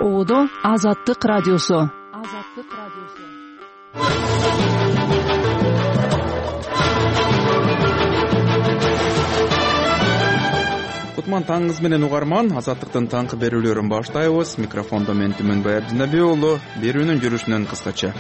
Одо Азаттык радиосу. Кутман таңыңыз менен угарман. Азаттыктын таңкы берүүлөрүн баштайбыз. Микрофондо мен Түмөнбай Абдинабек уулу. Берүүнүн жүрүшүнөн кыскача.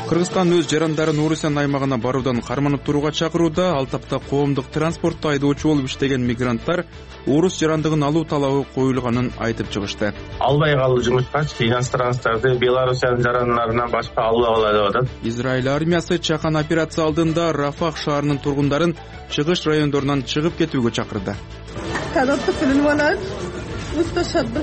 Кыргызстан өз жарандарын Орусиян аймагына баруудан карманып турууга чакырууда. Ал тапта коомдук транспортто айдоочу болуп иштеген мигранттар орус жарандыгын алуу талабы коюлганын айтып чыгышты. Албай калуу жумушка иностранцтарды Белоруссиянын жарандарынан башка алып алалы деп атат. Израиль армиясы чакан операция алдында Рафах шаарынын тургундарын чыгыш райондорунан чыгып кетүүгө чакырды.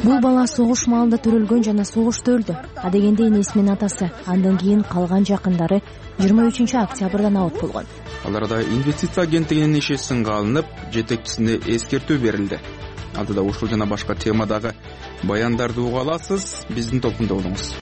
Бул бала согуш маалында төрөлгөн жана согушта өлдү. Адегенде энесинин атасы, андан кийин калган жакындары 23-октябрдан абот болгон. Аларда инвестиция агенттигинин иши сынга алынып, жетекчисине эскертүү берилди. Алдыда ушул жана башка темадагы баяндарды уга аласыз. Биздин топунда болуңуз.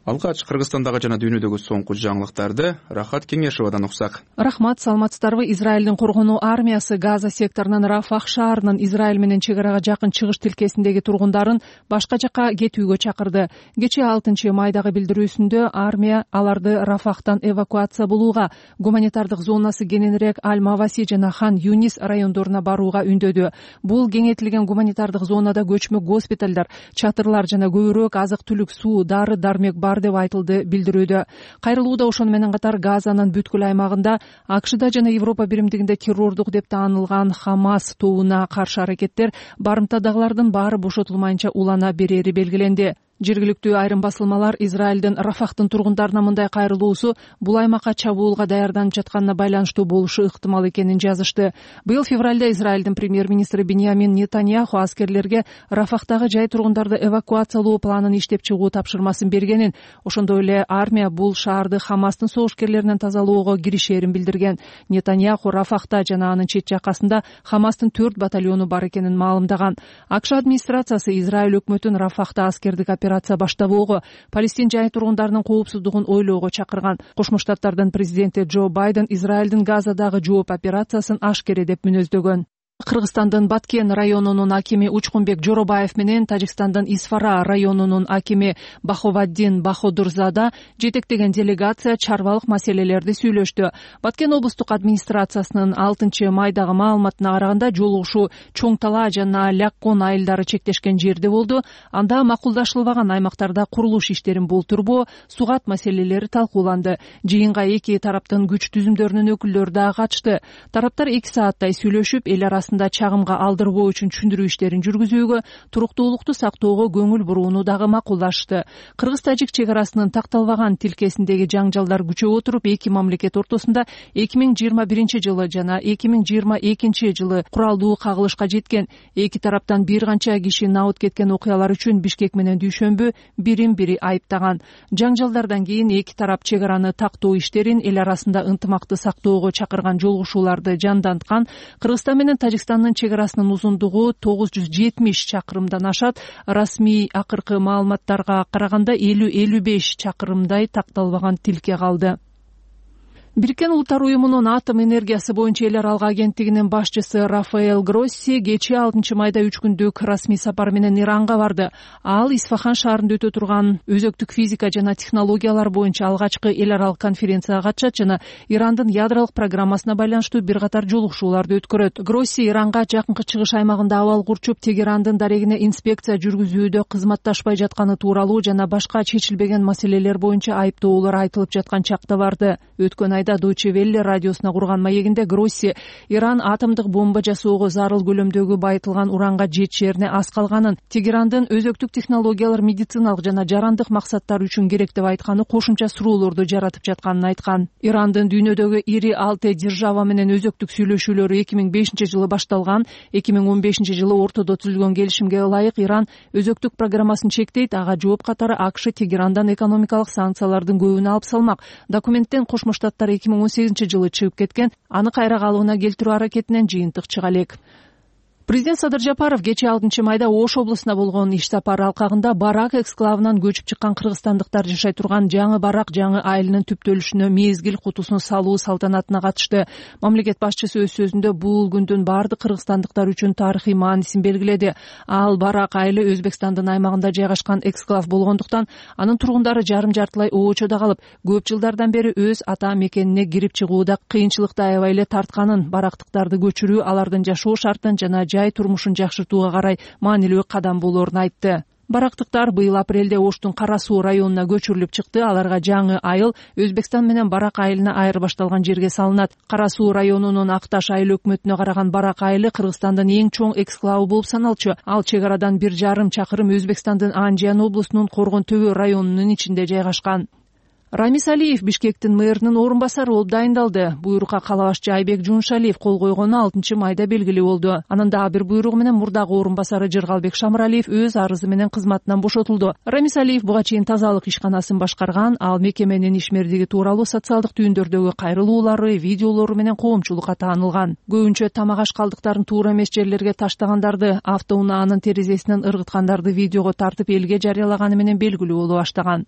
Алгач Кыргызстандагы жана дүйнөдөгү соңку жаңылыктарды Рахат Кеңешевадан уксак. Рахмат, саламатсыздарбы? Израилдин коргонуу армиясы Газа секторунан Рафах шаарынын Израиль менен чек арага жакын чыгыш тилкесиндеги тургундарын башка жакка кетүүгө чакырды. Кечээ 6-майдагы билдирүүсүндө армия аларды Рафахтан эвакуация болууга, гуманитардык зонасы кененирээк Аль-Маваси жана Хан Юнис райондоруна барууга үндөдү. Бул кеңейтилген гуманитардык зонада көчмө госпиталдар, чатырлар жана көбүрөөк азык-түлүк, суу, дары-дармек бар деп айтылды билдирүүдө. Кайрылууда ошону менен катар Газанын бүткүл аймагында АКШда жана Европа биримдигинде террордук деп таанылган Хамас тобуна каршы аракеттер барымтадагылардын баары бошотулмайынча улана берери белгиленди. Жергиликтүү айрым басылмалар Израилдин Рафахтын тургундарына мындай кайрылуусу бул аймакка чабуулга даярданып жатканына байланыштуу болушу ыктымал экенин жазышты. Быйыл февралда Израилдин премьер-министри Биньямин Нетаньяху аскерлерге Рафахтагы жай тургундарды эвакуациялоо планын иштеп чыгуу тапшырмасын бергенин, ошондой эле армия бул шаарды Хамастын согушкерлеринен тазалоого киришерин билдирген. Нетаньяху Рафахта жана анын чет жакасында Хамастын 4 батальону бар экенин маалымдаган. АКШ администрациясы Израиль өкмөтүн Рафахта аскердик операция баштабоого, Палестин жай тургундарынын коопсуздугун ойлоого чакырган. Кошмо Штаттардын президенти Джо Байден Израилдин Газадагы жооп операциясын ашкере деп мүнөздөгөн. Кыргызстандын Баткен районунун акими Учкунбек Жоробаев менен Тажикстандын Исфара районунун акими Баховаддин Баходурзада жетектеген делегация чарбалык маселелерди сүйлөштү. Баткен облустук администрациясынын 6-майдагы маалыматына караганда жолугушуу Чоң Тала жана Ляккон айылдары чектешкен жерде болду. Анда макулдашылбаган аймактарда курулуш иштерин болтурбоо, сугат маселелери талкууланды. Жыйынга эки тараптын күч түзүмдөрүнүн өкүлдөрү да катышты. Тараптар 2 сааттай сүйлөшүп, эл арасында чагымга алдырбоо үчүн түшүндүрүү иштерин жүргүзүүгө, туруктуулукту сактоого көңүл бурууну дагы макулдашты. Кыргыз-тажик чек арасынын такталбаган тилкесиндеги жаңжалдар күчөп отуруп, эки мамлекет ортосунда 2021 жана 2022 куралдуу кагылышка жеткен. Эки тараптан бир канча киши набыт кеткен окуялар үчүн Бишкек менен Дүйшөмбү бирин-бири айыптаган. Жаңжалдардан кийин эки тарап чек араны тактоо иштерин, эл арасында ынтымакты сактоого чакырган жолугушууларды жанданткан. Кыргызстан менен Тажикстандын чек арасынын узундугу 970 чакырымдан ашат. Расмий акыркы маалыматтарга караганда 50-55 чакырымдай такталбаган тилке калды. Бириккен Улуттар уюмунун атом энергиясы боюнча эл аралык агенттигинин башчысы Рафаэль Гросси кечээ 6-майда 3 күндүк расмий сапар менен Иранга барды. Ал Исфахан шаарында өтө турган өзөктүк физика жана технологиялар боюнча алгачкы эл аралык конференцияга катышат жана Ирандын ядролук программасына байланыштуу бир катар жолугушууларды өткөрөт. Гросси Иранга жакынкы чыгыш аймагында абал курчуп, Тегерандын дарегине инспекция жүргүзүүдө кызматташпай жатканы тууралуу жана башка чечилбеген маселелер боюнча айыптоолор айтылып жаткан чакта барды. Өткөн айда Deutsche Welle радиосуна курган маегинде Гросси Иран атомдук бомба жасоого зарыл көлөмдөгү байытылган уранга жетишерине аз калганын, Тегерандын өзөктүк технологиялар медициналык жана жарандык максаттар үчүн керек деп айтканы кошумча суроолорду жаратып жатканын айткан. Ирандын дүйнөдөгү ири 6 держава менен өзөктүк сүйлөшүүлөрү 2005 башталган. 2015 ортодо түзүлгөн келишимге ылайык Иран өзөктүк программасын чектейт. Ага жооп катары АКШ Тегерандан экономикалык санкциялардын көбүн алып салмак. Документтен Кошмо Штаттар 2018 чыгып кеткен, аны кайра калыбына келтирүү аракетинен жыйынтык чыга элек. Президент Садыр Жапаров кечээ 6 майда Ош облусуна болгон иш сапары алкагында Барак эксклавынан көчүп чыккан кыргызстандыктар жашай турган жаңы Барак жаңы айылынын түптөлүшүнө мезгил кутусун салуу салтанатына катышты. Мамлекет башчысы өз сөзүндө бул күндүн бардык кыргызстандыктар үчүн тарыхый маанисин белгиледи. Ал Барак айылы Өзбекстандын аймагында жайгашкан эксклав болгондуктан анын тургундары жарым-жартылай обочодо калып, көп жылдардан бери өз ата мекенине кирип чыгууда кыйынчылыкты аябай эле тартканын, барактыктарды көчүрүү алардын жашоо шартын жана жай турмушун жакшыртууга карай маанилүү кадам болоорун айтты. Барактыктар быйыл апрелде Оштун Кара Суу районуна көчүрүлүп чыкты. Аларга жаңы айыл Өзбекстан менен Барак айылына айырбашталган жерге салынат. Кара Суу районунун Акташ айыл өкмөтүнө караган Барак айылы Кыргызстандын эң чоң эксклавы болуп саналчу. Ал чек арадан 1,5 чакырым Өзбекстандын Анжиян облусунун Коргон Төбө районунун ичинде жайгашкан. Рамис Алиев Бишкектин мэринин орун басары болуп дайындалды. Буйрукка кала башчы Айбек Жуншалиев кол койгону 6 майда белгилүү болду. Анын дагы бир буйругу менен мурдагы орун басары Жыргалбек Шамыралиев өз арызы менен кызматынан бошотулду. Рамис Алиев буга чейин тазалык ишканасын башкарган. Ал мекеменин ишмердиги тууралуу социалдык түйүндөрдөгү кайрылуулары, видеолору менен коомчулукка таанылган. Көбүнчө тамак аш калдыктарын туура эмес жерлерге таштагандарды, автоунаанын терезесинен ыргыткандарды видеого тартып элге жарыялаганы менен белгилүү боло баштаган.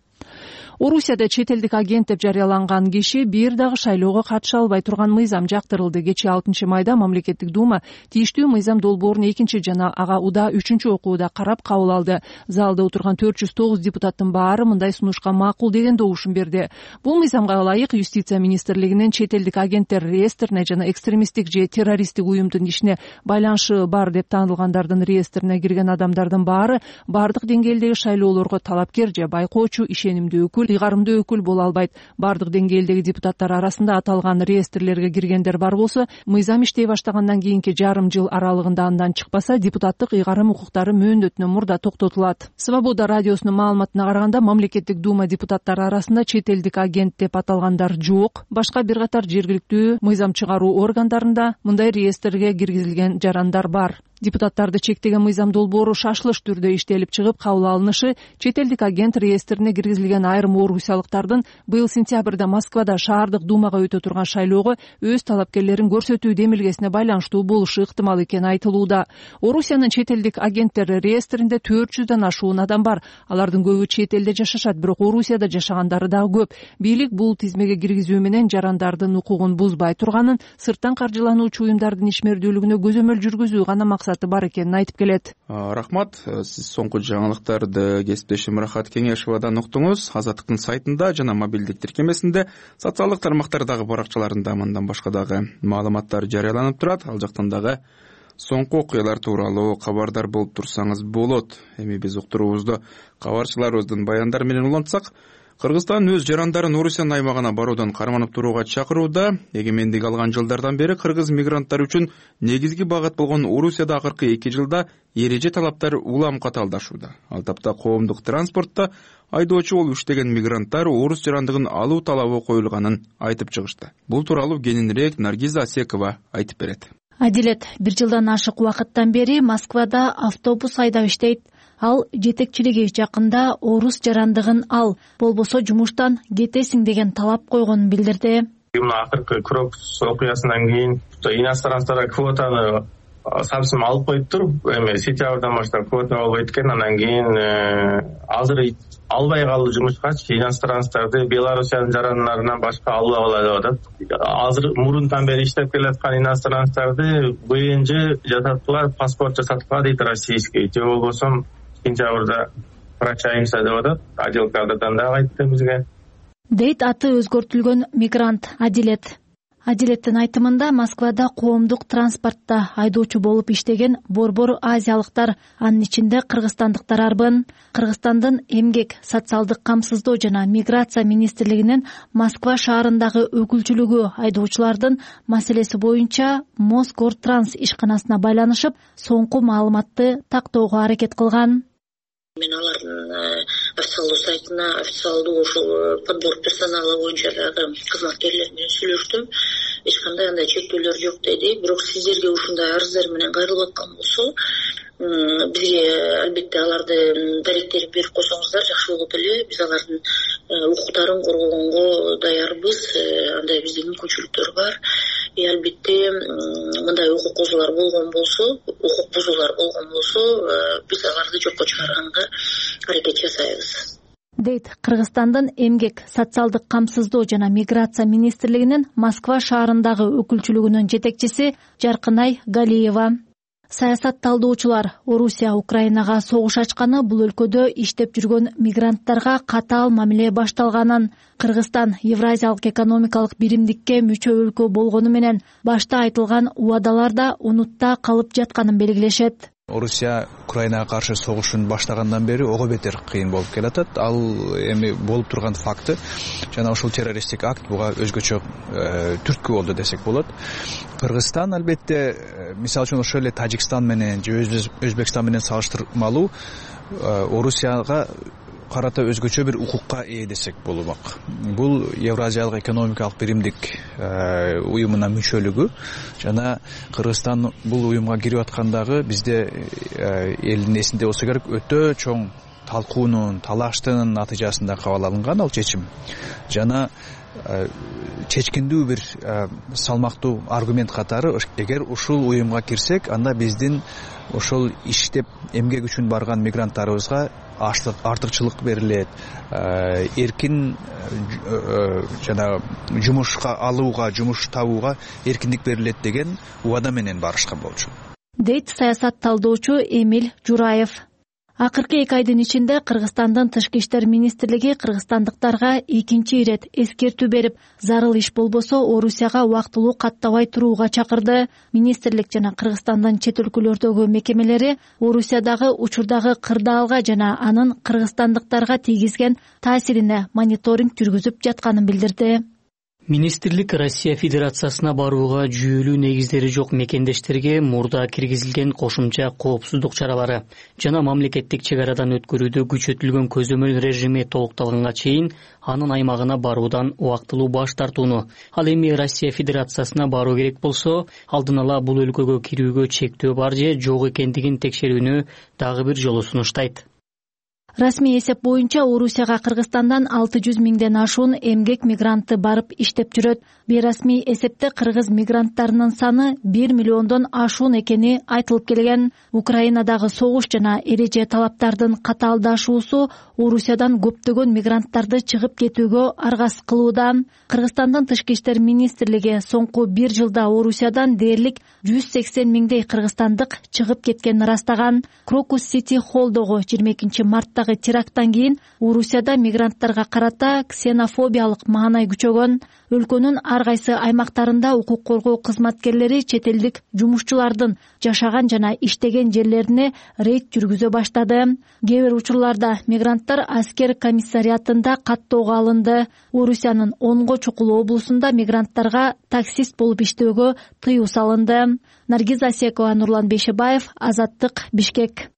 Орусияда чет элдик агент деп жарыяланган киши бир дагы шайлоого катыша албай турган мыйзам жактырылды. Кечээ 6 майда мамлекеттик дума тийиштүү мыйзам долбоорун 2 жана ага удаа 3 окууда карап кабыл алды. Залда отурган 409 депутаттын баары мындай сунушка макул деген добушун берди. Бул мыйзамга ылайык Юстиция министрлигинин чет элдик агенттер реестрине жана экстремисттик же террористтик уюмдун ишине байланышы бар деп таанылгандардын реестрине кирген адамдардын баары бардык деңгээлдеги шайлоолорго талапкер же байкоочу, ишенимдүү өкүл, ыйгарымдуу өкүл боло албайт. Бардык деңгээлдеги депутаттар арасында аталган реестрлерге киргендер бар болсо, мыйзам иштей баштагандан кийинки жарым жыл аралыгында андан чыкпаса, депутаттык ыйгарым укуктары мөөнөтүнөн мурда токтотулат. Свобода радиосунун маалыматына караганда, мамлекеттик дума депутаттары арасында чет элдик агент деп аталгандар жок. Башка бир катар жергиликтүү мыйзам чыгаруу органдарында мындай реестрге киргизилген жарандар бар. Депутаттарды чектеген мыйзам долбоору шашылыш түрдө иштелип чыгып кабыл алынышы чет элдик агент реестрине киргизилген айрым орусиялыктардын быйыл сентябрда Москвада шаардык думага өтө турган шайлоого өз талапкерлерин көрсөтүү демилгесине байланыштуу болушу ыктымал экени айтылууда. Орусиянын чет элдик агенттер реестринде 400дөн ашуун адам бар. Алардын көбү чет элде жашашат, бирок Орусияда жашагандары дагы көп. Бийлик бул тизмеге киргизүү менен жарандардын укугун бузбай турганын, сырттан каржылануучу уюмдардын ишмердүүлүгүнө көзөмөл жүргүзүү гана максаты бар экенин айтып келет. Рахмат. Сиз соңку жаңылыктарды кесиптешим Рахат Кеңешовадан уктуңуз. Азаттыктын сайтында жана мобилдик тиркемесинде, социалдык тармактардагы баракчаларында мындан башка дагы маалыматтар жарыяланып турат. Ал жактан дагы соңку окуялар тууралуу кабардар болуп турсаңыз болот. Эми биз уктуруубузду кабарчыларыбыздын баяндары менен улантсак, Кыргызстан өз жарандарын Орусиянын аймагына баруудан карманып турууга чакырууда. Эгемендик алган жылдардан бери кыргыз мигранттар үчүн негизги багыт болгон Орусияда акыркы 2 жылда эреже талаптар улам катаалдашууда. Ал тапта коомдук транспортто айдоочу болуп иштеген мигранттар орус жарандыгын алуу талабы коюлганын айтып чыгышты. Бул тууралуу кененирээк Наргиза Асекова айтып берет. Адилет, 1 жылдан ашык убакыттан бери Москвада автобус айдап иштейт. Ал жетекчилиги жакында орус жарандыгын ал, болбосо жумуштан кетесиң деген талап койгонун билдирди. Акыркы Крокус окуясынан кийин иностранцтарга квотаны совсем алып коюптур. Эми сентябрдан баштап квота болбойт экен. Андан кийин азыр албай калды жумушкачы. Иностранцтарды Белоруссиянын жарандарынан башка албай калат деп атат. Азыр мурунтан бери иштеп келаткан иностранцтарды БНЖ жасаткыла, паспорт жасаткыла дейт российский. Же болбосо сентябрда прощаемся деп атат. Отдел кадрдан дагы айтты бизге. Дейт аты өзгөртүлгөн мигрант Адилет. Адилеттин айтымында Москвада коомдук транспортто айдоочу болуп иштеген борбор азиялыктар, анын ичинде кыргызстандыктар арбын. Кыргызстандын эмгек, социалдык камсыздоо жана миграция министрлигинин Москва шаарындагы өкүлчүлүгү айдоочулардын маселеси боюнча Москортранс ишканасына байланышып, соңку маалыматты тактоого аракет кылган. Мен алардын официалдуу сайтына, официалдуу ушул подбор персонала боюнча дагы кызматкерлер менен сүйлөштүм. Эч кандай андай чектөөлөр жок деди. Бирок сиздерге ушундай арыздар менен кайрылып аткан болсо, бизге албетте аларды даректерин берип койсоңуздар жакшы болот эле. Биз алардын укуктарын коргогонго даярбыз. Андай бизде мүмкүнчүлүктөр бар. Албетте мындай укук бузуулар болгон болсо, биз аларды жокко чыгарганга аракет жасайбыз, дейт Кыргызстандын эмгек, социалдык камсыздоо жана миграция министрлигинин Москва шаарындагы өкүлчүлүгүнүн жетекчиси Жаркынай Галиева. Саясат талдоочулар Орусия Украинага согуш ачканы бул өлкөдө иштеп жүргөн мигранттарга катаал мамиле башталганын, Кыргызстан Евразиялык экономикалык биримдикке мүчө өлкө болгону менен башта айтылган убадалар да унутта калып жатканын белгилешет. Орусия Украинага каршы согушун баштагандан бери ого бетер кыйын болуп келатат. Ал эми болуп турган факты жана ушул террористтик акт буга өзгөчө түрткү болду десек болот. Кыргызстан албетте мисалы үчүн ошол эле Тажикстан менен же Өзбекстан менен салыштырмалуу Орусияга карата өзгөчө бир укукка ээ десек болмок. Бул Евразиялык экономикалык биримдик уюмуна мүчөлүгү жана Кыргызстан бул уюмга кирип аткандагы бизде элдин эсинде болсо керек өтө чоң талкуунун, талаштын натыйжасында кабыл алынган ал чечим. Жана чечкиндүү бир салмактуу аргумент катары эгер ушул уюмга кирсек, анда биздин ошол иштеп эмгек үчүн барган мигранттарыбызга артыкчылык берилет, эркин жана жумушка алууга, жумуш табууга эркиндик берилет деген убада менен барышкан болчу, дейт саясат талдоочу Эмиль Жураев. Акыркы 2 айдын ичинде Кыргызстандын Тышкы иштер министрлиги кыргызстандыктарга экинчи ирет эскертүү берип, зарыл иш болбосо Орусияга убактылуу каттабай турууга чакырды. Министрлик жана Кыргызстандын чет өлкөлөрдөгү мекемелери Орусиядагы учурдагы кырдаалга жана анын кыргызстандыктарга тийгизген таасирине мониторинг жүргүзүп жатканын билдирди. Министрлик Россия Федерациясына барууга жүйөлүү негиздери жок мекендештерге мурда киргизилген кошумча коопсуздук чаралары жана мамлекеттик чек арадан өткөрүүдө күчөтүлгөн көзөмөл режими толукталганга чейин анын аймагына баруудан убактылуу баш тартууну, ал эми Россия Федерациясына баруу керек болсо, алдын ала бул өлкөгө кирүүгө чектөө бар же жок экендигин текшерүүнү дагы бир жолу сунуштайт. Расмий эсеп боюнча Орусияга Кыргызстандан 600 миңден ашуун эмгек мигранты барып иштеп жүрөт. Бейрасмий эсепте кыргыз мигранттарынын саны 1 миллиондон ашуун экени айтылып келген. Украинадагы согуш жана эреже талаптардын катаалдашуусу Орусиядан көптөгөн мигранттарды чыгып кетүүгө аргас кылууда. Кыргызстандын Тышкы иштер министрлиги соңку 1 жылда Орусиядан дээрлик 180 миңдей кыргызстандык чыгып кеткенин ырастаган. Крокус Сити Холлдогу 22 марттагы теракттан кийин Орусияда мигранттарга карата ксенофобиялык маанай күчөгөн. Өлкөнүн ар кайсы аймактарында укук коргоо кызматкерлери чет элдик жумушчулардын жашаган жана иштеген жерлерине рейд жүргүзө баштады. Кээ бир учурларда мигранттар аскер комиссариатында каттоого алынды. Орусиянын Онго чукул облусунда мигранттарга таксист болуп иштөөгө тыюу салынды. Наргиз Асекова, Нурлан Бейшебаев, Азаттык, Бишкек.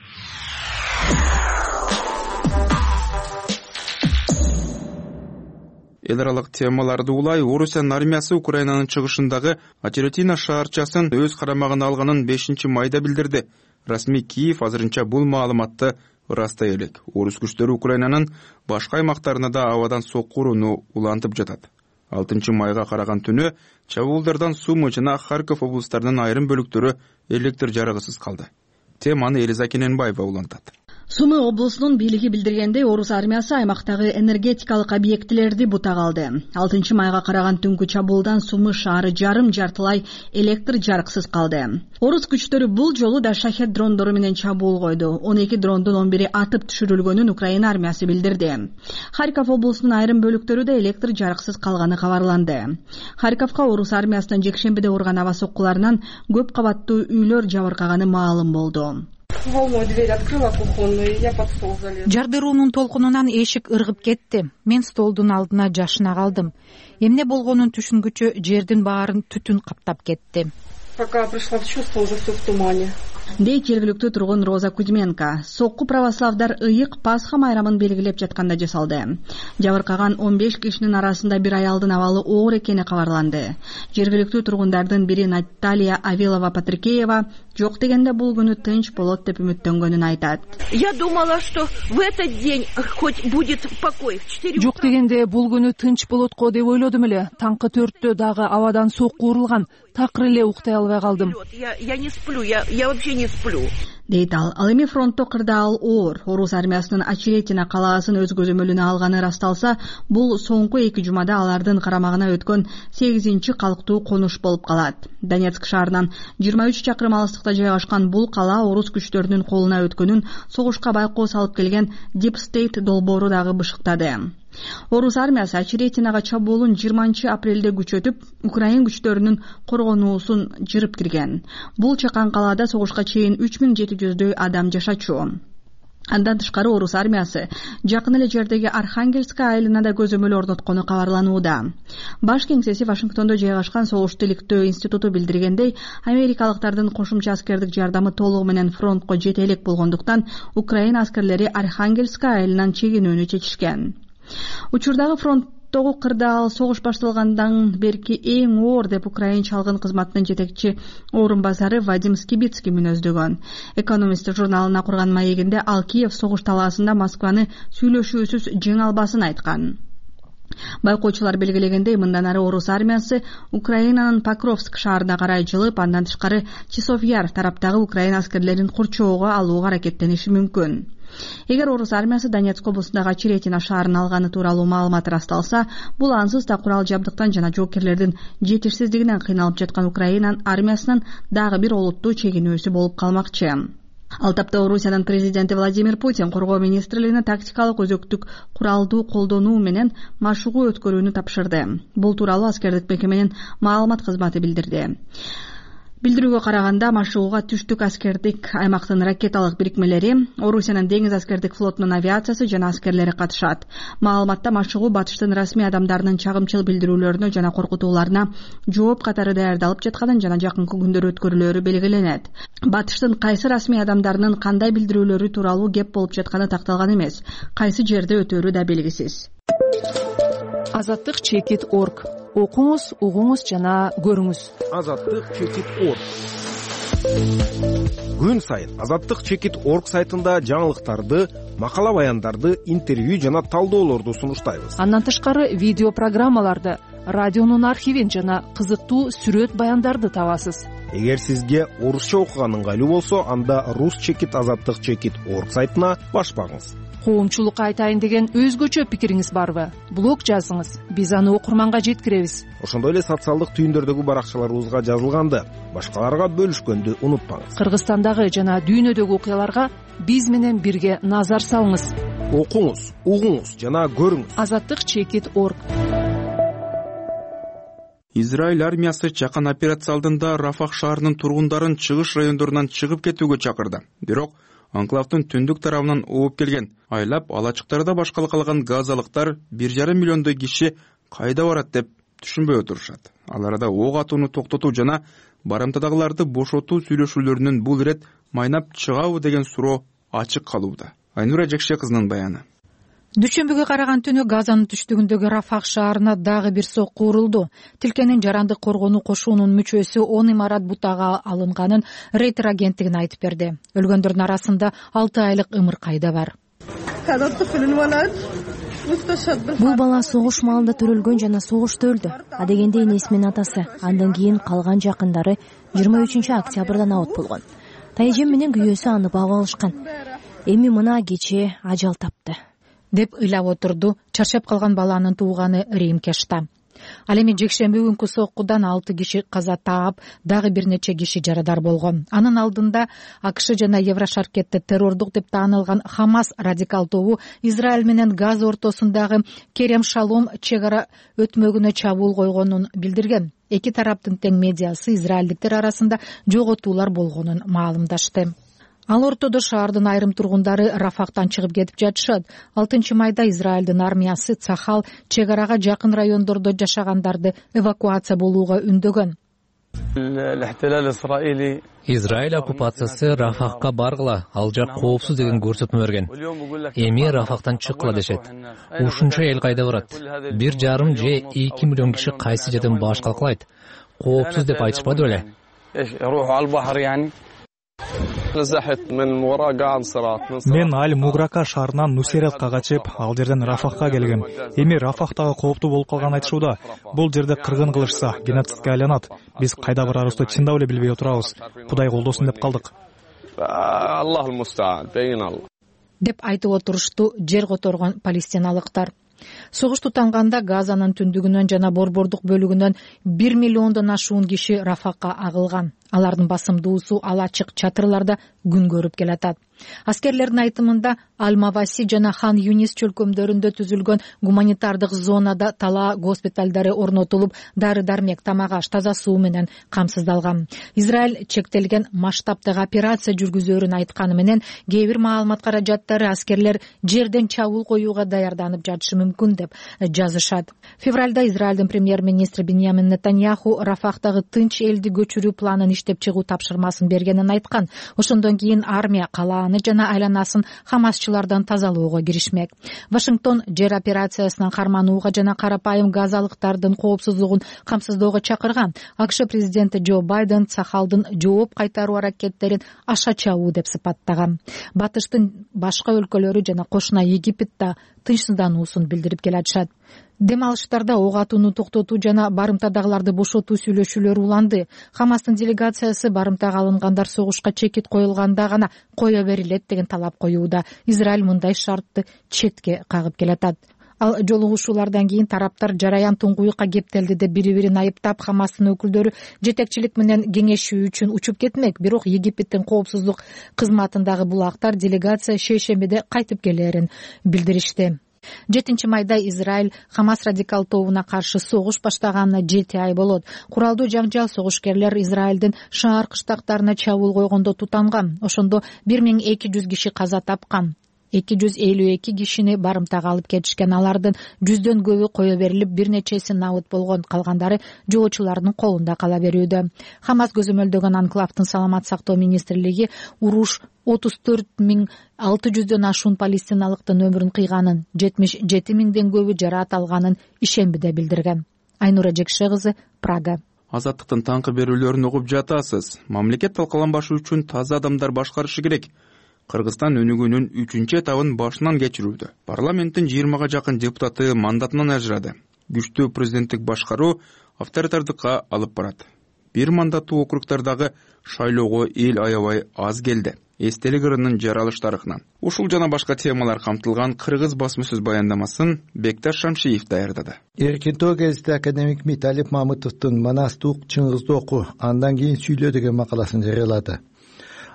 Эл аралык темаларды улай Орусиянын армиясы Украинанын чыгышындагы Очеретино шаарчасын өз карамагына алганын 5-майда билдирди. Расмий Киев азырынча бул маалыматты ырастай элек. Орус күчтөрү Украинанын башка аймактарына да абадан сокку урууну улантып жатат. 6-майга караган түнү чабуулдардан Сумы жана Харьков облустарынын айрым бөлүктөрү электр жарыгысыз калды. Теманы Элиза Кененбаева улантат. Сумы облусунун бийлиги билдиргендей, Орус армиясы аймактагы энергетикалык объектилерди бутак алды. 6-майга караган түнкү чабуулдан Сумы шаары жарым-жартылай электр жарыксыз калды. Орус күчтөрү бул жолу да шахет дрондору менен чабуул койду. 12 дрондун 11 атып түшүрүлгөнүн Украина армиясы билдирди. Харьков облусунун айрым бөлүктөрү да электр жарыксыз калганы кабарланды. Харьковко Орус армиясынын жекшембиде урган аба соккуларынан көп кабаттуу үйлөр жабыркаганы маалым болду. Жардыруунун толкунунан эшик ыргып кетти. Мен столдун алдына жашына калдым. Эмне болгонун түшүнгүчө жердин баарын түтүн каптап кетти. Пока пришла в чувство, уже всё в тумане. дейт жергиликтүү тургун Роза Кузьменко. Сокку православдар ыйык Пасха майрамын белгилеп жатканда жасалды. Жабыркаган 15 кишинин арасында бир аялдын абалы оор экени кабарланды. Жергиликтүү тургундардын бири Наталья Авилова-Патрикеева жок дегенде бул күнү тынч болот деп үмүттөнгөнүн айтат. Я думала, что в этот день хоть будет покой. Жок дегенде бул күнү тынч болот го деп ойлодум эле. Таңкы 4-тө дагы абадан сокку урулган. Такыр эле уктай албай калдым. Я не сплю, я вообще не сплю. Дейт ал. Ал эми фронтто кырдаал оор. Орус армиясынын Очеретина калаасын өз көзөмөлүнө алганы расталса, бул соңку 2 жумада алардын карамагына өткөн 8-чи калктуу конуш болуп калат. Донецк шаарынан 23 чакырым алыстыкта жайгашкан бул кала орус күчтөрүнүн колуна өткөнүн согушка байкоо салып келген Deep State долбоору дагы бышыктады. Орус армиясы Очеретинага чабуулун 20-апрелде күчөтүп, Украин күчтөрүнүн коргонуусун жырып кирген. Бул чакан калаада согушка чейин 3700дөй адам жашачу. Андан тышкары орус армиясы жакын эле жердеги Архангельская айылына көзөмөл орноткону кабарланууда. Баш кеңсеси Вашингтондо жайгашкан согуш иликтөө институту билдиргендей, америкалыктардын кошумча аскердик жардамы толугу менен фронтко жете элек болгондуктан Украин аскерлери Архангельская айылынан чегинүүнү чечишкен. Учурдагы фронттогу кырдаал согуш башталгандан берки эң оор деп Украин чалгын кызматынын жетекчи орун базары Вадим Скибицкий мүнөздөгөн. Экономист журналына курган маегинде ал Киев согуш талаасында Москваны сүйлөшүүсүз жеңе албасын айткан. Байкоочулар белгилегендей, мындан ары орус армиясы Украинанын Покровск шаарына карай жылып, андан тышкары Часов-Яр тараптагы Украин аскерлерин курчоого алууга аракеттениши мүмкүн. Эгер орус армиясы Донецк облусундагы Очеретина шаарын алганы тууралуу маалымат расталса, бул ансыз да курал жабдыктан жана жоокерлердин жетишсиздигинен кыйналып жаткан Украина армиясынын дагы бир олуттуу чегинүүсү болуп калмакчы. Ал тапта Орусиянын президенти Владимир Путин коргоо министрлигине тактикалык өзөктүк куралдуу колдонуу менен машыгуу өткөрүүнү тапшырды. Бул тууралуу аскердик мекеменин маалымат кызматы билдирди. Билдирүүгө караганда, машыгууга түштүк аскердик аймактын ракеталык бирикмелери, Орусиянын деңиз аскердик флотунун авиациясы жана аскерлери катышат. Маалыматта машыгуу батыштын расмий адамдарынын чагымчыл билдирүүлөрүнө жана коркутууларына жооп катары даярдалып жатканын жана жакынкы күндөрү өткөрүлөрү белгиленет. Батыштын кайсы расмий адамдарынын кандай билдирүүлөрү тууралуу кеп болуп жатканы такталган эмес. Кайсы жерде өтөрү да белгисиз. Азаттык.org. Окуңуз, угуңуз жана көрүңүз. Азаттык.org. Күн сайын Азаттык.org сайтында жаңылыктарды, макала баяндарды, интервью жана талдоолорду сунуштайбыз. Андан тышкары видео программаларды, радионун архивин жана кызыктуу сүрөт баяндарды табасыз. Эгер сизге орусча окуган ыңгайлуу болсо, анда Rus.Azаттык.org сайтына башпаңыз. Коомчулукка айтайын деген өзгөчө пикириңиз барбы? Блог жазыңыз, биз аны окурманга жеткиребиз. Ошондой эле социалдык түйүндөрдөгү баракчаларыбызга жазылганды башкаларга бөлүшкөндү унутпаңыз. Кыргызстандагы жана дүйнөдөгү окуяларга биз менен бирге назар салыңыз. Окуңуз, угуңуз жана көрүңүз. Азаттык.org. Израиль армиясы чакан операция алдында Рафах шаарынын тургундарын чыгыш райондорунан чыгып кетүүгө чакырды. Бирок анклавдын түндүк тарабынан ооп келген айлап алачыктарда башкала калган газалыктар 1,5 миллиондой киши кайда барат деп түшүнбөй отурушат. Ал арада ок атууну токтотуу жана барымтадагыларды бошотуу сүйлөшүүлөрүнүн бул ирет майнап чыгабы деген суроо ачык калууда. Айнура Жекше кызынын баяны. Дүйшөмбүгө караган түнү Газанын түштүгүндөгү Рафах шаарына дагы бир сокку урулду. Тилкенин жарандык коргонуу кошуунун мүчөсү 10 имарат бутага алынганын Рейтер агенттигине айтып берди. Өлгөндөрдүн арасында 6 айлык ымыркай да бар. Бул бала согуш маалында төрөлгөн жана согушта өлдү. Адегенде энеси менен атасы, андан кийин калган жакындары 23 октябрдан абот болгон. Тайжем менен күйөөсү аны багып алышкан. Эми мына кечээ ажал тапты деп ыйлап отурду чарчап калган баланын тууганы Рим Кешта. Ал эми жекшемби күнкү соккудан 6 киши каза таап, дагы бир нече киши жарадар болгон. Анын алдында АКШ жана Еврошаркетте террордук деп таанылган Хамас радикал тобу Израиль менен Газа ортосундагы Керем Шалом чек ара өтмөгүнө чабуул койгонун билдирген. Эки тараптын тең медиасы израилдиктер арасында жоготуулар болгонун маалымдашты. Ал ортодо шаардын айрым тургундары Рафахтан чыгып кетип жатышат. 6 майда Израилдин армиясы Цахал чек арага жакын райондордо жашагандарды эвакуация болууга үндөгөн. Израиль оккупациясы Рафахка баргыла, ал жак коопсуз деген көрсөтмө берген. Эми Рафахтан чыккыла дешет. Ушунча эл кайда барат? 1,5 же 2 миллион киши кайсы жерден баш калкалайт? Коопсуз деп айтышпады беле? Мен Аль Муграка шаарынан Нусеретка качып, ал жерден Рафахка келгем. Эми Рафахтагы кооптуу болуп калган айтышууда. Бул жерде кыргын кылышса, геноцидке айланат. Биз кайда барарыбызды чындап эле билбей отурабыз. Кудай колдосун деп калдык. Деп айтып отурушту жер которгон палестиналыктар. Согуш тутанганда Газанын түндүгүнөн жана борбордук бөлүгүнөн 1 миллиондон ашуун киши Рафакка агылган. Алардын басымдуусу ал ачык чатырларда күн көрүп келатат. Аскерлердин айтымында Аль-Маваси жана Хан Юнис чөлкөмдөрүндө түзүлгөн гуманитардык зонада талаа госпиталдары орнотулуп, дары-дармек, тамак аш, таза суу менен камсыздалган. Израиль чектелген масштабтагы операция жүргүзөөрүн айтканы менен кээ бир маалымат каражаттары аскерлер жерден чабуул коюуга даярданып жатышы мүмкүн деп жазышат. Февралда Израилдин премьер-министри Биньямин Нетаньяху Рафахтагы тынч элди көчүрүү планын иштеп чыгуу тапшырмасын бергенин айткан. Ошондон кийин армия калааны жана айланасын хамасчылардан тазалоого киришмек. Вашингтон жер операциясынан карманууга жана карапайым газалыктардын коопсуздугун камсыздоого чакырган. АКШ президенти Джо Байден Сахалдын жооп кайтаруу аракеттерин аша чабуу деп сыпаттаган. Батыштын башка өлкөлөрү жана кошуна Египет да тынчсыздануусун билдирип келатышат. Дем алыштарда ок атууну токтотуу жана барымтадагыларды бошотуу сүйлөшүүлөрү уланды. Хамастын делегациясы барымтага алынгандар согушка чекит коюлганда гана кое берилет деген талап коюуда. Израиль мындай шартты четке кагып келатат. Ал жолугушуулардан кийин тараптар жараян туңгуюкка кептелди деп бири-бирин айыптап, Хамастын өкүлдөрү жетекчилик менен кеңешүү үчүн учуп кетмек. Бирок Египеттин коопсуздук кызматындагы булактар делегация шейшембиде кайтып келерин билдиришти. 7 майда Израиль Хамас радикал тобуна каршы согуш баштаганына 7 ай болот. Куралдуу жаңжал согушкерлер Израилдин шаар кыштактарына чабуул койгондо тутанган. Ошондо 1200 киши каза тапкан. 252 кишини барымтага алып кетишкен. Алардын 100дөн көбү кое берилип, бир нечеси набыт болгон, калгандары жоочулардын колунда кала берүүдө. Хамас көзөмөлдөгөн анклавдын саламат сактоо министрлиги уруш 34,600дөн ашуун палестиналыктын өмүрүн кыйганын, 77,000ден көбү жараат алганын ишембиде билдирген. Айнура Жекше кызы, Прага. Азаттыктын таңкы берүүлөрүн угуп жатасыз. Мамлекет талкаланбашы үчүн таза адамдар башкарышы керек. Кыргызстан өнүгүүнүн 3-чү этабын башынан кечирүүдө. Парламенттин 20га жакын депутаты мандатынан ажырады. Күчтүү президенттик башкаруу авторитардыкка алып барат. Бир мандаттуу округдардагы шайлоого эл аябай аз келди. Эстелик ырынын жаралыш тарыхынан. Ушул жана башка темалар камтылган кыргыз басма сөз баяндамасын Бекташ Шамшиев даярдады. Эркинтөө гезити академик Миталип Мамытовдун Манастуук Чыңгызды оку, андан кийин сүйлө деген макаласын жарыялады.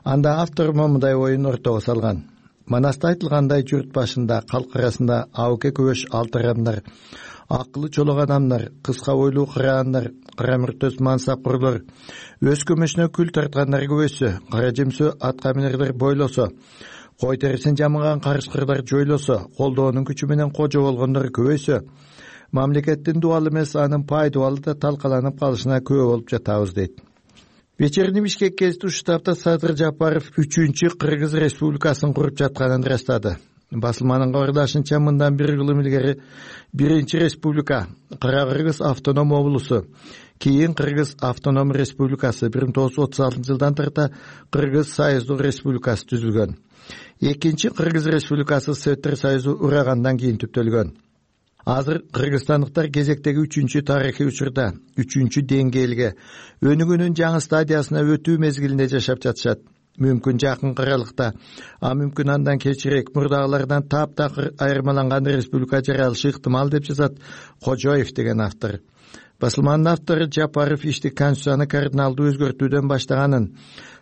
Анда автор мындай оюн ортого салган. Манаста айтылгандай журт башында калк арасында абыке көбөш алтырамдар, акылы чолок адамдар, кыска бойлуу кыраандар, кара мүртөс мансапкорлор, өз көмөшүнө күл тарткандар көбөйсө, кара жемсө атка минерлер бойлосо, кой терисин жамыган карышкырлар жойлосо, колдоонун күчү менен кожо болгондор көбөйсө, мамлекеттин дубалы эмес анын пайдубалы да талкаланып калышына күбө болуп жатабыз дейт. Вечерний Бишкек гезити штабта Садыр Жапаров 3-чү Кыргыз Республикасын куруп жатканын ырастады. Басылманын кабардашынча мындан 1 жыл илгери 1-чи республика Кара-Кыргыз автоном облусу, кийин Кыргыз автоном республикасы 1936-жылдан тарта Кыргыз Союздук республикасы түзүлгөн. 2-чи Кыргыз республикасы Советтер Союзу урагандан кийин түптөлгөн. Азыр кыргызстандыктар кезектеги 3-чү тарыхый учурда 3-чү деңгээлге өнүгүүнүн жаңы стадиясына өтүү мезгилинде жашап жатышат. Мүмкүн жакын аралыкта, а мүмкүн андан кечирээк мурдагылардан таптакыр айырмаланган республика жаралышы ыктымал деп жазат Кожоев деген автор. Басылманын автору Жапаров ишти конституцияны кардиналдуу өзгөртүүдөн баштаганын,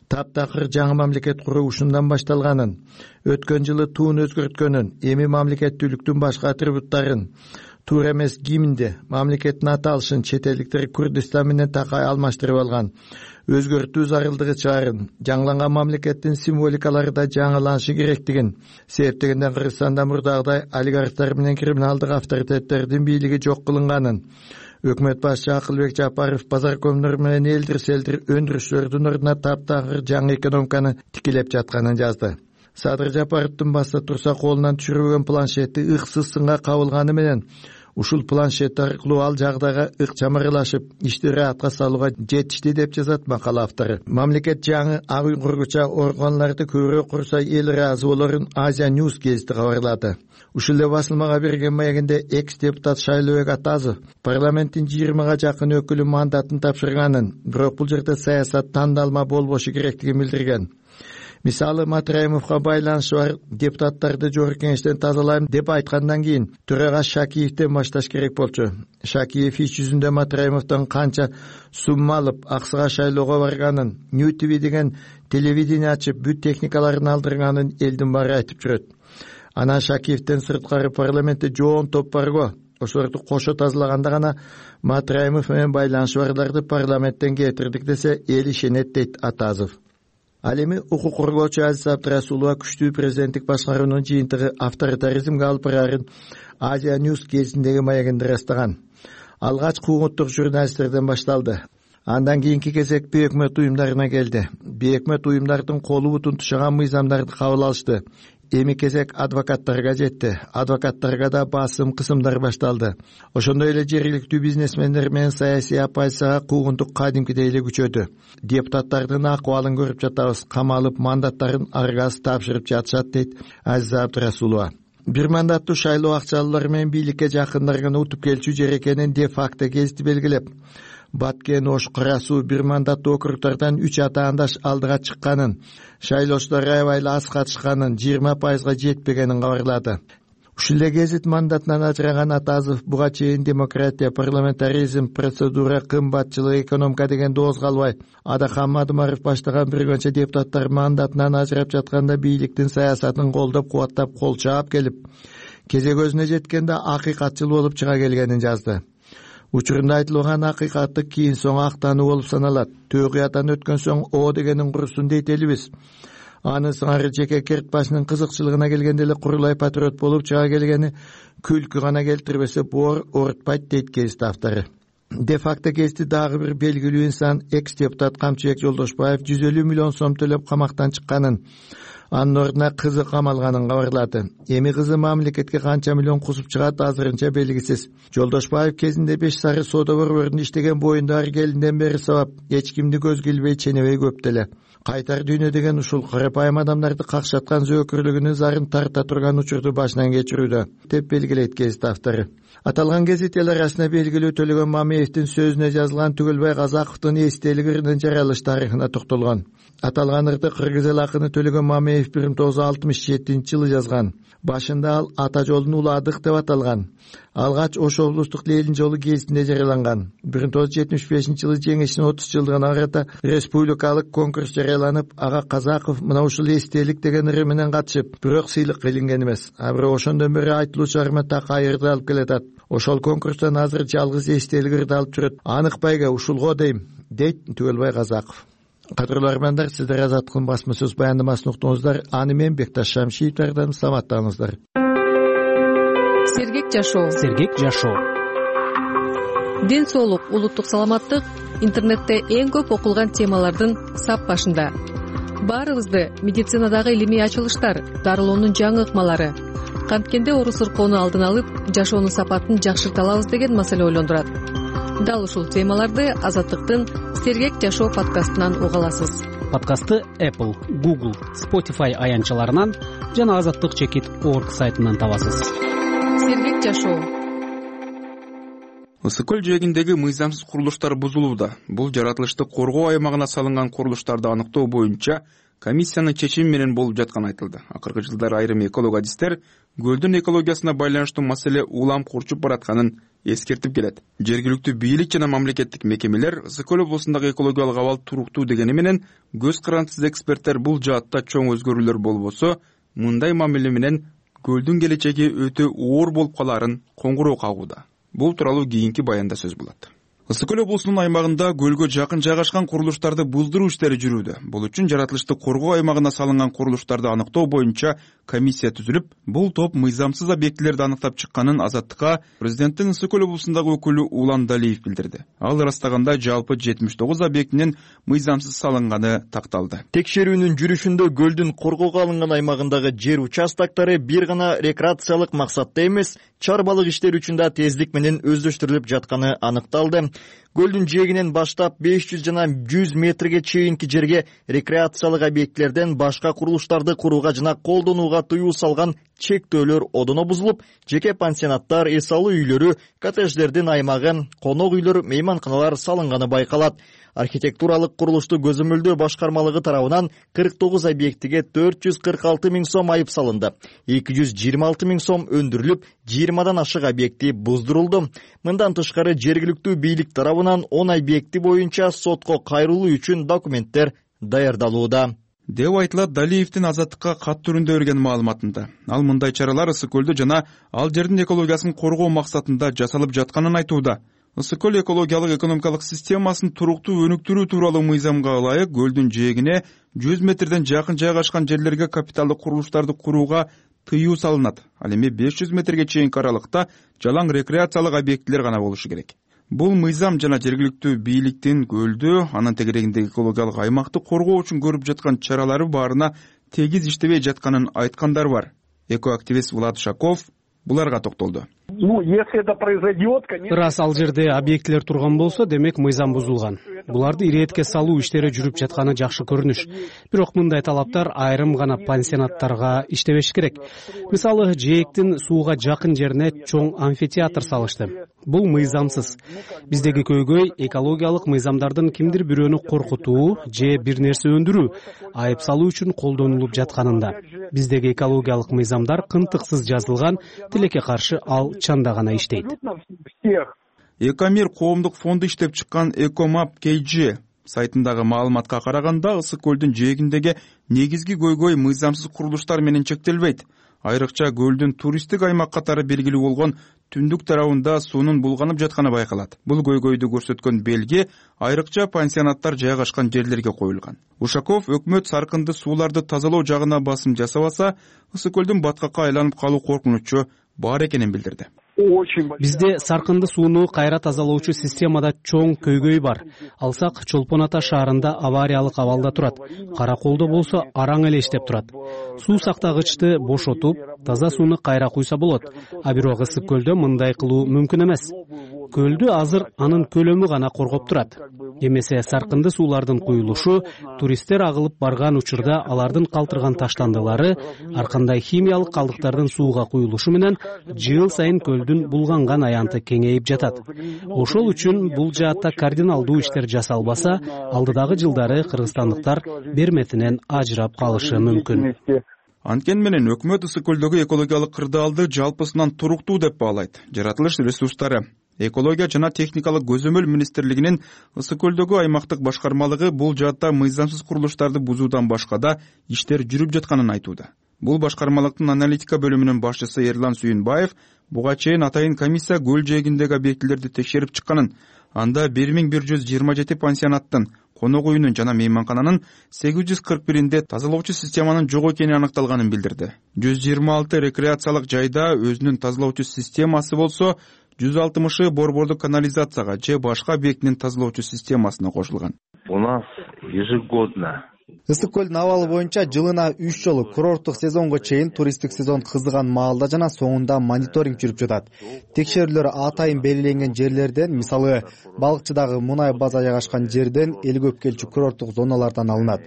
таптакыр жаңы мамлекет куруу ушундан башталганын, өткөн жылы туун өзгөрткөнүн, эми мамлекеттүүлүктүн башка атрибуттарын, туура эмес гимнди, мамлекеттин аталышын чет элдиктер Курдистан менен такай алмаштырып алган, өзгөртүү зарылдыгы чыгарын, жаңыланган мамлекеттин символикалары да жаңыланышы керектигин, себептегенден Кыргызстанда мурдагыдай олигархтар менен криминалдык авторитеттердин бийлиги жок кылынганын, өкмөт башчы Акылбек Жапаров базаркомдор менен элдир селдир өндүрүшчүлөрдүн ордуна таптагыр жаңы экономиканы тикелеп жатканын жазды. Садыр Жапаровдун баста турса колунан түшүрүлгөн планшети ыксыз сынга кабылганы менен ушул планшет аркылуу ал жагдайга ыкчам аралашып, иштери атка салууга жетишти деп жазат макала автору. Мамлекет жаңы ак үй кургуча органдарды көбүрөөк курса эл ыраазы болорун Азия News гезити кабарлады. Ушул эле басылмага берген маегинде экс-депутат Шайлообек Атазов парламенттин 20га жакын өкүлү мандатын тапшырганын, бирок бул жерде саясат тандалма болбошу керектигин билдирген. Мисалы, Матраимовго байланышы бар депутаттарды жогорку кеңештен тазалайм деп айткандан кийин төрага Шакиевден башташ керек болчу. Шакиев иш жүзүндө Матраимовдон канча сумма алып, аксыга шайлоого барганын, New TV деген телевидение ачып, бүт техникаларын алдырганын элдин баары айтып жүрөт. Анан Шакиевден сырткары парламентте жоон топ барго. Ошолорду кошо тазалаганда гана Матраимов менен байланышы барларды парламенттен кетирдик десе эл ишенет, дейт Атазов. Ал эми укук коргоочу Азиз Абдрасулова күчтүү президенттик башкаруунун жыйынтыгы авторитаризмге алып барарын Азия News гезитиндеги маегинде ырастаган. Алгач куугунттук журналисттерден башталды. Андан кийинки кезек бейөкмөт уюмдарына келди. Бейөкмөт уюмдардын колу бутун тушаган мыйзамдарды кабыл алышты. Эми кезек адвокаттарга жетти. Адвокаттарга да басым кысымдар башталды. Ошондой эле жергиликтүү бизнесмендер менен саясий оппозицияга куугунтук кадимкидей эле күчөдү. Депутаттардын акыбалын көрүп жатабыз, камалып мандаттарын аргасыз тапшырып жатышат, дейт Азиз Абдрасулова. Бир мандаттуу шайлоо акчалуулар менен бийликке жакындарган утуп келчү жер экенин де факты гезити белгилеп, Баткен, Ош, Кара Суу бир мандаттуу округдардан 3 атаандаш алдыга чыкканын, шайлоочулар аябай аз катышканын, 20% жетпегенин кабарлады. Ушул эле гезит мандатынан ажыраган Атазов буга чейин демократия, парламентаризм, процедура, кымбатчылык, экономика деген дооз калбай, Адахан Мадымаров баштаган бир канча депутаттар мандатынан ажырап жатканда бийликтин саясатын колдоп, кубаттап, кол чаап келип, кезек өзүнө жеткенде акыйкатчыл болуп чыга келгенин жазды. Учурунда айтылган акыйкаттык кийин соң актануу болуп саналат. Төөгуятан өткөн соң о дегенин курсун дейт элибиз. Анын сыңары жеке керт башынын кызыкчылыгына келгенде эле курулай патриот болуп чыга келгени күлкү гана келтирбесе боор оорутпайт, дейт гезит автору. Де факто гезити дагы бир белгилүү инсан экс-депутат Камчыбек Жолдошбаев 150 миллион сом төлөп камактан чыкканын, анын ордуна кызы камалганын кабарлады. Эми кызы мамлекетке канча миллион кусуп чыгат азырынча белгисиз. Жолдошбаев кезинде 5 сары соода борборунда иштеген боюндагы келинден бери сабап, эч кимди көзгө илбей ченебей көп деле. Кайтар дүйнө деген ушул карапайым адамдарды какшаткан зөөкүрлүгүнүн зарын тарта турган учурду башынан кечирүүдө, деп белгилейт гезит автору. Аталган гезит эл арасында белгилүү Төлөгөн Мамеевдин сөзүнө жазылган Түгөлбай Казаковдун эстелигинин жаралыш тарыхына токтолгон. Аталган ырды кыргыз эл акыны Төлөгөн Мамеев 1967-жылы жазган. Башында ал ата жолун уладык деп аталган. Алгач Ош облустук Ленин жолу гезитинде жарыяланган. 1975-жылы жеңишинин 30 жылдыгына карата республикалык конкурс жарыяланып, ага Казаков мына ушул эстелик деген ыры менен катышып, бирок сыйлык илинген эмес. А бирок ошондон бери айтылуу чыгарма так айырды алып келатат. Ошол конкурстан азыр жалгыз эстелик ырды алып жүрөт. Анык байга ушулго дейм, дейт Түгөлбай Казаков. Кадырлуу армандар, сиздер Азаттыктын басма сөз баяндамасын уктуңуздар. Аны мен Бекташ Шамшиевдерден саламаттаңыздар. Сергек жашоо. Сергек жашоо. Ден соолук, улуттук саламаттык интернетте эң көп окулган темалардын сап башында. Баарыбызды медицинадагы илимий ачылыштар, дарылоонун жаңы ыкмалары, канткенде оору сыркоону алдын алып, жашоонун сапатын жакшырта алабыз деген маселе ойлондурат. Дал ушул темаларды Азаттыктын Сергек жашоо подкастынан уга аласыз. Подкастты Apple, Google, Spotify аянтчаларынан жана azattik.org сайтынан табасыз. Сергек жашоо. Ысык көл жээгиндеги мыйзамсыз курулуштар бузулууда. Бул жаратылышты коргоо аймагына салынган курулуштарды аныктоо боюнча комиссиянын чечими менен болуп жатканы айтылды. Акыркы жылдары айрым эколог-адистер көлдүн экологиясына байланыштуу маселе улам курчуп баратканын эскертип келет. Жергиликтүү бийлик жана мамлекеттик мекемелер Ысык көл облусундагы экологиялык абал туруктуу дегени менен көз карандысыз эксперттер бул жаатта чоң өзгөрүүлөр болбосо, мындай мамиле менен көлдүн келечеги өтө оор болуп калаарын коңгуроо кагууда. Бул тууралуу кийинки баянда сөз болот. Ысык көл облусунун аймагында көлгө жакын жайгашкан курулуштарды буздуруу иштери жүрүүдө. Бул үчүн жаратылышты коргоо аймагына салынган курулуштарды аныктоо боюнча комиссия түзүлүп, бул топ мыйзамсыз объектилерди аныктап чыкканын Азаттыкка президенттин Ысык көл облусундагы өкүлү Улан Далиев билдирди. Ал ырастаганда жалпы 79 объектинин мыйзамсыз салынганы такталды. Текшерүүнүн жүрүшүндө көлдүн коргоого алынган аймагындагы жер участоктары бир гана рекреациялык максатта эмес, чарбалык иштер үчүн да тездик менен өздөштүрүлүп жатканы аныкталды. Көлдүн жээгинен баштап 500 жана 100 метрге чейинки жерге рекреациялык объектилерден башка курулуштарды курууга жана колдонууга тыюу салган чектөөлөр одоно бузулуп, жеке пансионаттар, эс алуу үйлөрү, коттедждердин аймагы, конок үйлөр, мейманканалар салынганы байкалат. Архитектуралык курулушту көзөмөлдөө башкармалыгы тарабынан 49 объектиге 446 миң сом айып салынды. 226 миң сом өндүрүлүп, 20дан ашык объекти буздурулду. Мындан тышкары жергиликтүү бийлик тарабынан 10 объекти боюнча сотко кайрылуу үчүн документтер даярдалууда, деп айтылат Далиевдин Азаттыкка кат түрүндө берген маалыматында. Ал мындай чаралар Ысык көлдү жана ал жердин экологиясын коргоо максатында жасалып жатканын айтууда. Ысык көл экологиялык экономикалык системасын туруктуу өнүктүрүү тууралуу мыйзамга ылайык көлдүн жээгине 100 метрден жакын жайгашкан жерлерге капиталдык курулуштарды курууга тыюу салынат. Ал эми 500 метрге чейинки аралыкта жалаң рекреациялык объектилер гана болушу керек. Бул мыйзам жана жергиликтүү бийликтин көлдү, анын тегерегиндеги экологиялык аймакты коргоо үчүн көрүп жаткан чаралары баарына тегиз иштебей жатканын айткандар бар. Экоактивист Влад Ушаков буларга токтолду. Ырас ал жерде объектилер турган болсо, демек мыйзам бузулган. Буларды иретке салуу иштери жүрүп жатканы жакшы көрүнүш. Бирок мындай талаптар айрым гана пансионаттарга иштебеш керек. Мисалы, жээктин сууга жакын жерине чоң амфитеатр салышты. Бул мыйзамсыз. Биздеги көйгөй экологиялык мыйзамдардын кимдир бирөөнү коркутуу же бир нерсе өндүрүү, айып салуу үчүн колдонулуп жатканында. Биздеги экологиялык мыйзамдар кынтыксыз жазылган, тилекке каршы ал чанда гана иштейт. Экомир коомдук фонду иштеп чыккан Экомап KG сайтындагы маалыматка караганда, Ысык көлдүн жээгиндеги негизги көйгөй мыйзамсыз курулуштар менен чектелбейт. Айрыкча көлдүн туристтик аймак катары белгилүү болгон түндүк тарабында суунун булганып жатканы байкалат. Бул көйгөйдү көрсөткөн белги айрыкча пансионаттар жайгашкан жерлерге коюлган. Ушаков өкмөт саркынды сууларды тазалоо жагына басым жасабаса, Ысык көлдүн баткакка айланып калуу коркунучу бар экенин билдирди. Бизде саркынды сууну кайра тазалоочу системада чоң көйгөй бар. Алсак, Чолпон Ата шаарында авариялык абалда турат. Караколдо болсо араң эле иштеп турат. Суу сактагычты бошотуп, таза сууну кайра куйса болот. А бирок Ысык көлдө мындай кылуу мүмкүн эмес. Көлдү азыр анын көлөмү гана коргоп турат. Эмесе саркынды суулардын куюлушу, туристтер агылып барган учурда алардын калтырган таштандылары, ар кандай химиялык калдыктардын сууга куюлушу менен жыл сайын көлдүн булганган аянты кеңейип жатат. Ошол үчүн бул жаатта кардиналдуу иштер жасалбаса, алдыдагы жылдары кыргызстандыктар берметинен ажырап калышы мүмкүн. Анткени менен өкмөт Ысык көлдөгү экологиялык кырдаалды жалпысынан туруктуу деп баалайт. Жаратылыш ресурстары, экология жана техникалык көзөмөл министрлигинин Ысык көлдөгү аймактык башкармалыгы бул жаатта мыйзамсыз курулуштарды бузуудан башка да иштер жүрүп жатканын айтууда. Бул башкармалыктын аналитика бөлүмүнүн башчысы Эрлан Сүйүнбаев буга чейин атайын комиссия көл жээгиндеги объектилерди текшерип чыкканын, анда 1127 пансионаттын, конок үйүнүн жана мейманкананын 841-inde тазалоочу системанын жок экени аныкталганын билдирди. 126 рекреациялык жайда өзүнүн тазалоочу системасы болсо, 160 борбордук канализацияга же башка объектинин тазалоочу системасына кошулган. У нас ежегодно Ысык көлдүн абалы боюнча жылына 3 жолу курорттук сезонго чейин туристтик сезон кызыган маалда жана соңунда мониторинг жүрүп жатат. Текшерүүлөр атайын белгиленген жерлерден, мисалы, балыкчыдагы мунай база жайгашкан жерден, эл көп келчү курорттук зоналардан алынат.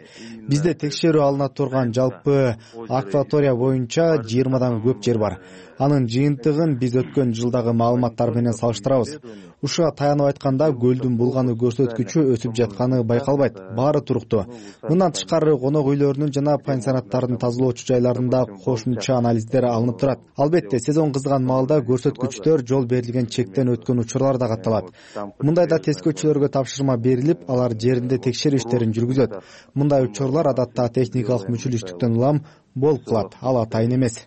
Бизде текшерүү алына турган жалпы акватория боюнча 20дан көп жер бар. Анын жыйынтыгын биз өткөн жылдагы маалыматтар менен салыштырабыз. Ушуга таянып айтканда, көлдүн булгануу көрсөткүчү өсүп жатканы байкалбайт. Баары туруктуу. Мындан тышкары конок үйлөрүнүн жана пансионаттардын тазалоочу жайларында кошумча анализдер алынып турат. Албетте, сезон кызыган маалда көрсөткүчтөр жол берилген чектен өткөн учурлар да катталат. Мындайда тескөөчүлөргө тапшырма берилип, алар жеринде текшерүү иштерин жүргүзөт. Мындай учурлар адатта техникалык мүчүлүштүктөн улам болуп калат. Ал атайын эмес.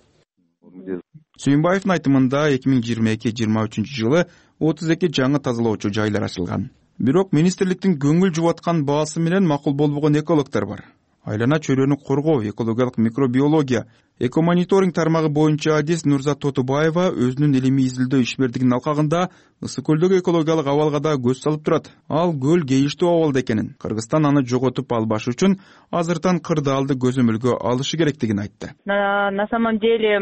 Сүйүнбаевдин айтымында 2022-23 жылы 32 жаңы тазалоочу жайлар ачылган. Бирок министрликтин көңүл жубаткан баасы менен макул болбогон экологдор бар. Айлана чөйрөнү коргоо, экологиялык микробиология, экомониторинг тармагы боюнча адис Нурзат Тотубаева өзүнүн илимий изилдөө ишмердигинин алкагында Ысык көлдөгү экологиялык абалга да көз салып турат. Ал көл кейиштүү абалда экенин, Кыргызстан аны жоготуп албаш үчүн азыртан кырдаалды көзөмөлгө алышы керектигин айтты. На самом деле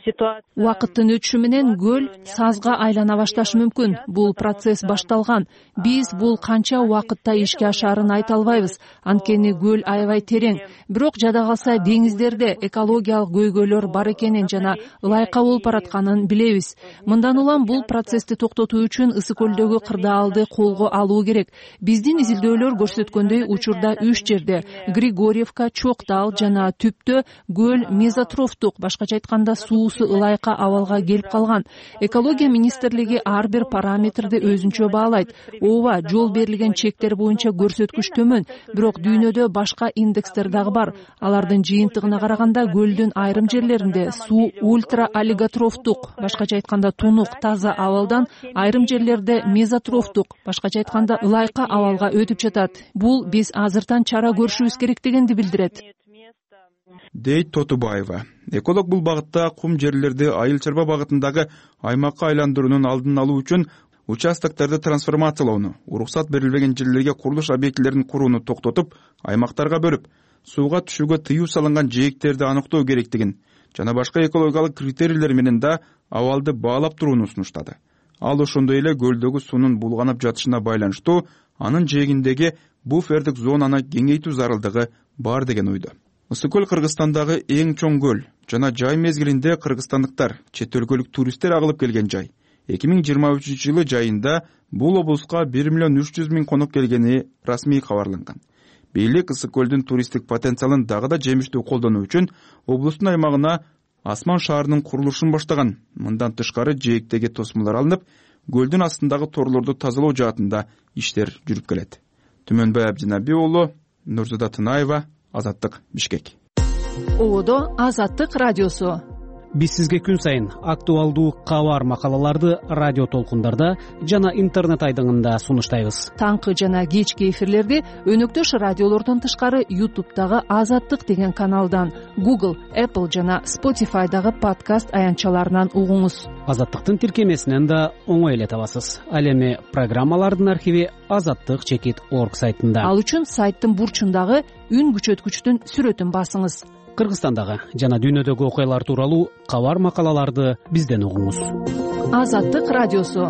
ситуация Убакыттын өтүшү менен көл сазга айлана башташы мүмкүн. Бул процесс башталган. Биз бул канча убакытта ишке ашаарын айта албайбыз. Анткени көл аябай терең. Бирок жада калса деңиздерде экологиялык көйгөйлөр бар экенин жана ылайка болуп баратканын билебиз. Мындан улам бул процессти токтотуу үчүн Ысык көлдөгү кырдаалды колго алуу керек. Биздин изилдөөлөр көрсөткөндөй учурда 3 жерде Григорьевка, Чоктал жана Түптө көл мезотрофтук, башкача айтканда суусу ылайка абалга келип калган. Экология министрлиги ар бир параметрди өзүнчө баалайт. Ооба, жол берилген чектер боюнча көрсөткүч төмөн, бирок дүйнөдө башка индекстер дагы бар. Алардын жыйынтыгына караганда көлдүн айрым жерлеринде суу ультраолиготрофтук, башкача айтканда тунук, таза абалдан, айрым жерлерде мезотрофтук, башкача айтканда ылайка абалга өтүп жатат. Бул биз азыртан чара көрүшүбүз керектигинди билдирет, дейт Тотубаева. Эколог бул багытта кум жерлерди айыл чарба багытындагы аймакка айландыруунун алдын алуу үчүн участокторду трансформациялоону, уруксат берилбеген жерлерге курулуш объектилерин курууну токтотуп, аймактарга бөлүп, сууга түшүүгө тыюу салынган жээктерди аныктоо керектигин жана башка экологиялык критерийлер менен да абалды баалап турууну сунуштады. Ал ошондой эле көлдөгү суунун булганып жатышына байланыштуу анын жээгиндеги буфердик зонаны кеңейтүү зарылдыгы бар деген ойдо. Ысык көл Кыргызстандагы эң чоң көл жана жай мезгилинде кыргызстандыктар, чет өлкөлүк туристтер агылып келген жай. 2023 жылы жайында бул облуска 1,3 миллион конок келгени расмий кабарланган. Бийлик Ысык көлдүн туристтик потенциалын дагы да жемиштүү колдонуу үчүн облустун аймагына Асман шаарынын курулушун баштаган. Мындан тышкары жээктеги тосмолор алынып, көлдүн астындагы торлорду тазалоо жаатында иштер жүрүп келет. Түмөнбай Абдинаби уулу, Нурзада Тынаева, Азаттык, Бишкек. Ободо Азаттык радиосу. Биз сизге күн сайын актуалдуу кабар макалаларды радио толкундарда жана интернет айдыңында сунуштайбыз. Таңкы жана кечки эфирлерди өнөктөш радиолордон тышкары YouTube'дагы Азаттык деген каналдан, Google, Apple жана Spotify'дагы подкаст аянтчаларынан угуңуз. Азаттыктын тиркемесинен да оңой эле табасыз. Ал эми программалардын архиви azattik.org сайтында. Ал үчүн сайттын бурчундагы үн күчөткүчтүн сүрөтүн басыңыз. Кыргызстандагы жана дүйнөдөгү окуялар тууралуу кабар макалаларды бизден угуңуз. Азаттык радиосу.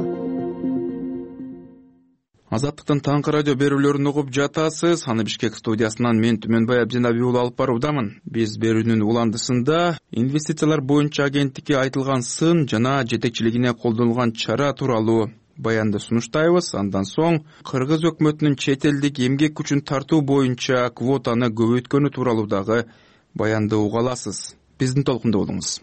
Азаттыктын таңкы радио берүүлөрүн угуп жатасыз. Аны Бишкек студиясынан мен Түмөнбай Абдинаби уулу алып баруудамын. Биз берүүнүн уландысында инвестициялар боюнча агенттикке айтылган сын жана жетекчилигине колдонулган чара тууралуу баянды сунуштайбыз. Андан соң Кыргыз өкмөтүнүн чет элдик эмгек күчүн тартуу боюнча квотаны көбөйткөнү тууралуу дагы баянды уга аласыз. Биздин толкунда болуңуз.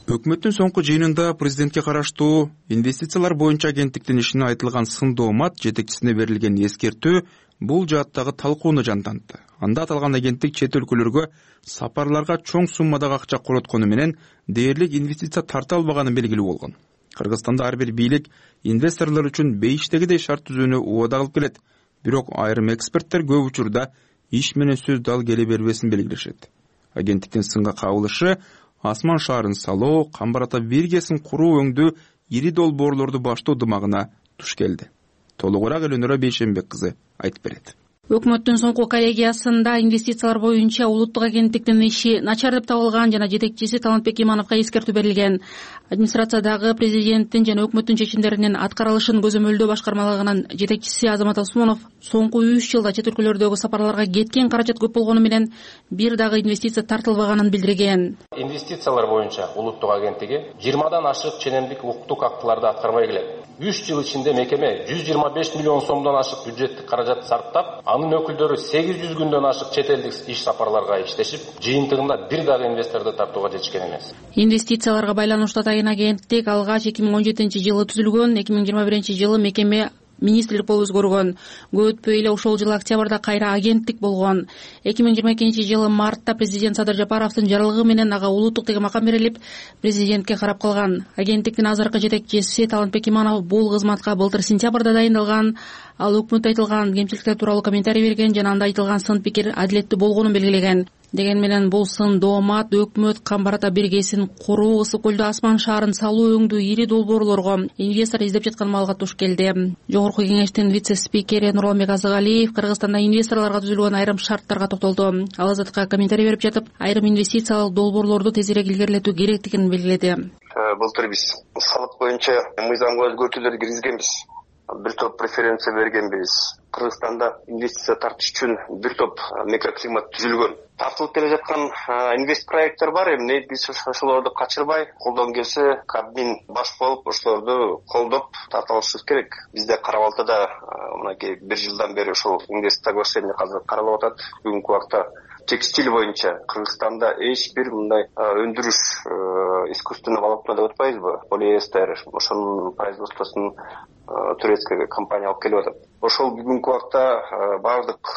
Өкмөттүн соңку жыйынында президентке караштуу инвестициялар боюнча агенттиктин ишине айтылган сын доомат жетекчисине берилген эскертүү бул жааттагы талкууну жандантты. Анда аталган агенттик чет өлкөлөргө сапарларга чоң суммадагы акча короткону менен дээрлик инвестиция тарта албаганы белгилүү болгон. Кыргызстанда ар бир бийлик инвесторлор үчүн бейиштегидей шарт түзүүнү убада кылып келет. Бирок айрым эксперттер көп учурда иш менен сөз дал келе бербесин белгилешет. Агенттиктин сынга кабылышы Асман шаарын салуу, Камбар ата биргесин куруу өңдүү ири долбоорлорду баштоо дымагына туш келди. Толугураак Элөнөрө Бейшенбек кызы айтып берет. Өкмөттүн соңку коллегиясында инвестициялар боюнча улуттук агенттиктин иши начар деп табылган жана жетекчиси Талантбек Имановго эскертүү берилген. Администрациядагы президенттин жана өкмөттүн чечимдеринин аткарылышын көзөмөлдөө башкармалыгынын жетекчиси Азамат Осмонов соңку 3 жылда чет өлкөлөрдөгү сапарларга кеткен каражат көп болгону менен бир дагы инвестиция тартылбаганын билдирген. Инвестициялар боюнча улуттук агенттиги 20дан ашык ченемдик укуктук актыларды аткарбай келет. 3 жыл ичинде мекеме 125 миллион сомдон ашык бюджеттик каражат сарптап, анын өкүлдөрү 800 күндөн ашык чет элдик иш сапарларга иштешип, жыйынтыгында бир дагы инвесторду тартууга жетишкен эмес. Инвестицияларга байланыштуу атайын агенттик алгач 2017 жылы түзүлгөн, 2021 жылы мекеме министрлик болуп өзгөргөн. Көп өтпөй эле ошол жылы октябрда кайра агенттик болгон. 2022-жылы мартта президент Садыр Жапаровдун жарлыгы менен ага улуттук деген макам берилип, президентке карап калган. Агенттиктин азыркы жетекчиси Талантбек Иманов бул кызматка былтыр сентябрда дайындалган. Ал өкмөттө айтылган кемчиликтер тууралуу комментарий берген жана анда айтылган сын пикир адилеттүү болгонун белгилеген. Деген менен бул сын доомат өкмөт Камбарата биргесин куруу, Ысык көлдө Асман шаарын салуу өңдүү ири долбоорлорго инвестор издеп жаткан маалга туш келди. Жогорку кеңештин вице-спикери Нурланбек Азыгалиев Кыргызстанда инвесторлорго түзүлгөн айрым шарттарга токтолду. Ал Азаттыкка комментарий берип жатып, айрым инвестициялык долбоорлорду тезирээк илгерилетүү керектигин белгиледи. Былтыр биз салык боюнча мыйзамга өзгөртүүлөр киргизгенбиз. Бир топ преференция бергенбиз. Кыргызстанда инвестиция тартыш үчүн бир топ микроклимат түзүлгөн. Тартылып келе жаткан инвест проекттер бар. Эмне биз ошолорду качырбай, колдон келсе Кабмин баш болуп, ошолорду колдоп тарта алышыбыз керек. Бизде Кара-Балтада мынакей бир жылдан бери ошол инвест соглашение азыр каралып атат. Бүгүнкү убакта текстиль боюнча Кыргызстанда эч бир мындай өндүрүш искусственный волокна деп атпайбызбы? Полиэстер, ошонун производствосун турецкая компания алып келип атат. Ошол бүгүнкү убакта баардык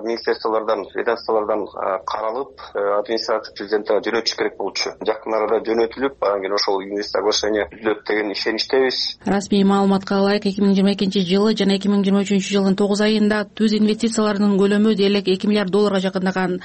министрликтерден, ведомстволордон каралып, администрация президентке жөнөтүш керек болчу. Жакын арада жөнөтүлүп, анан кийин ошол инвест соглашение түзүлөт деген ишеничтебиз. Расмий маалыматка ылайык 2022-жылы жана 2023-жылдын 9 айында түз инвестициялардын көлөмү дээрлик $2 миллиард жакындаган.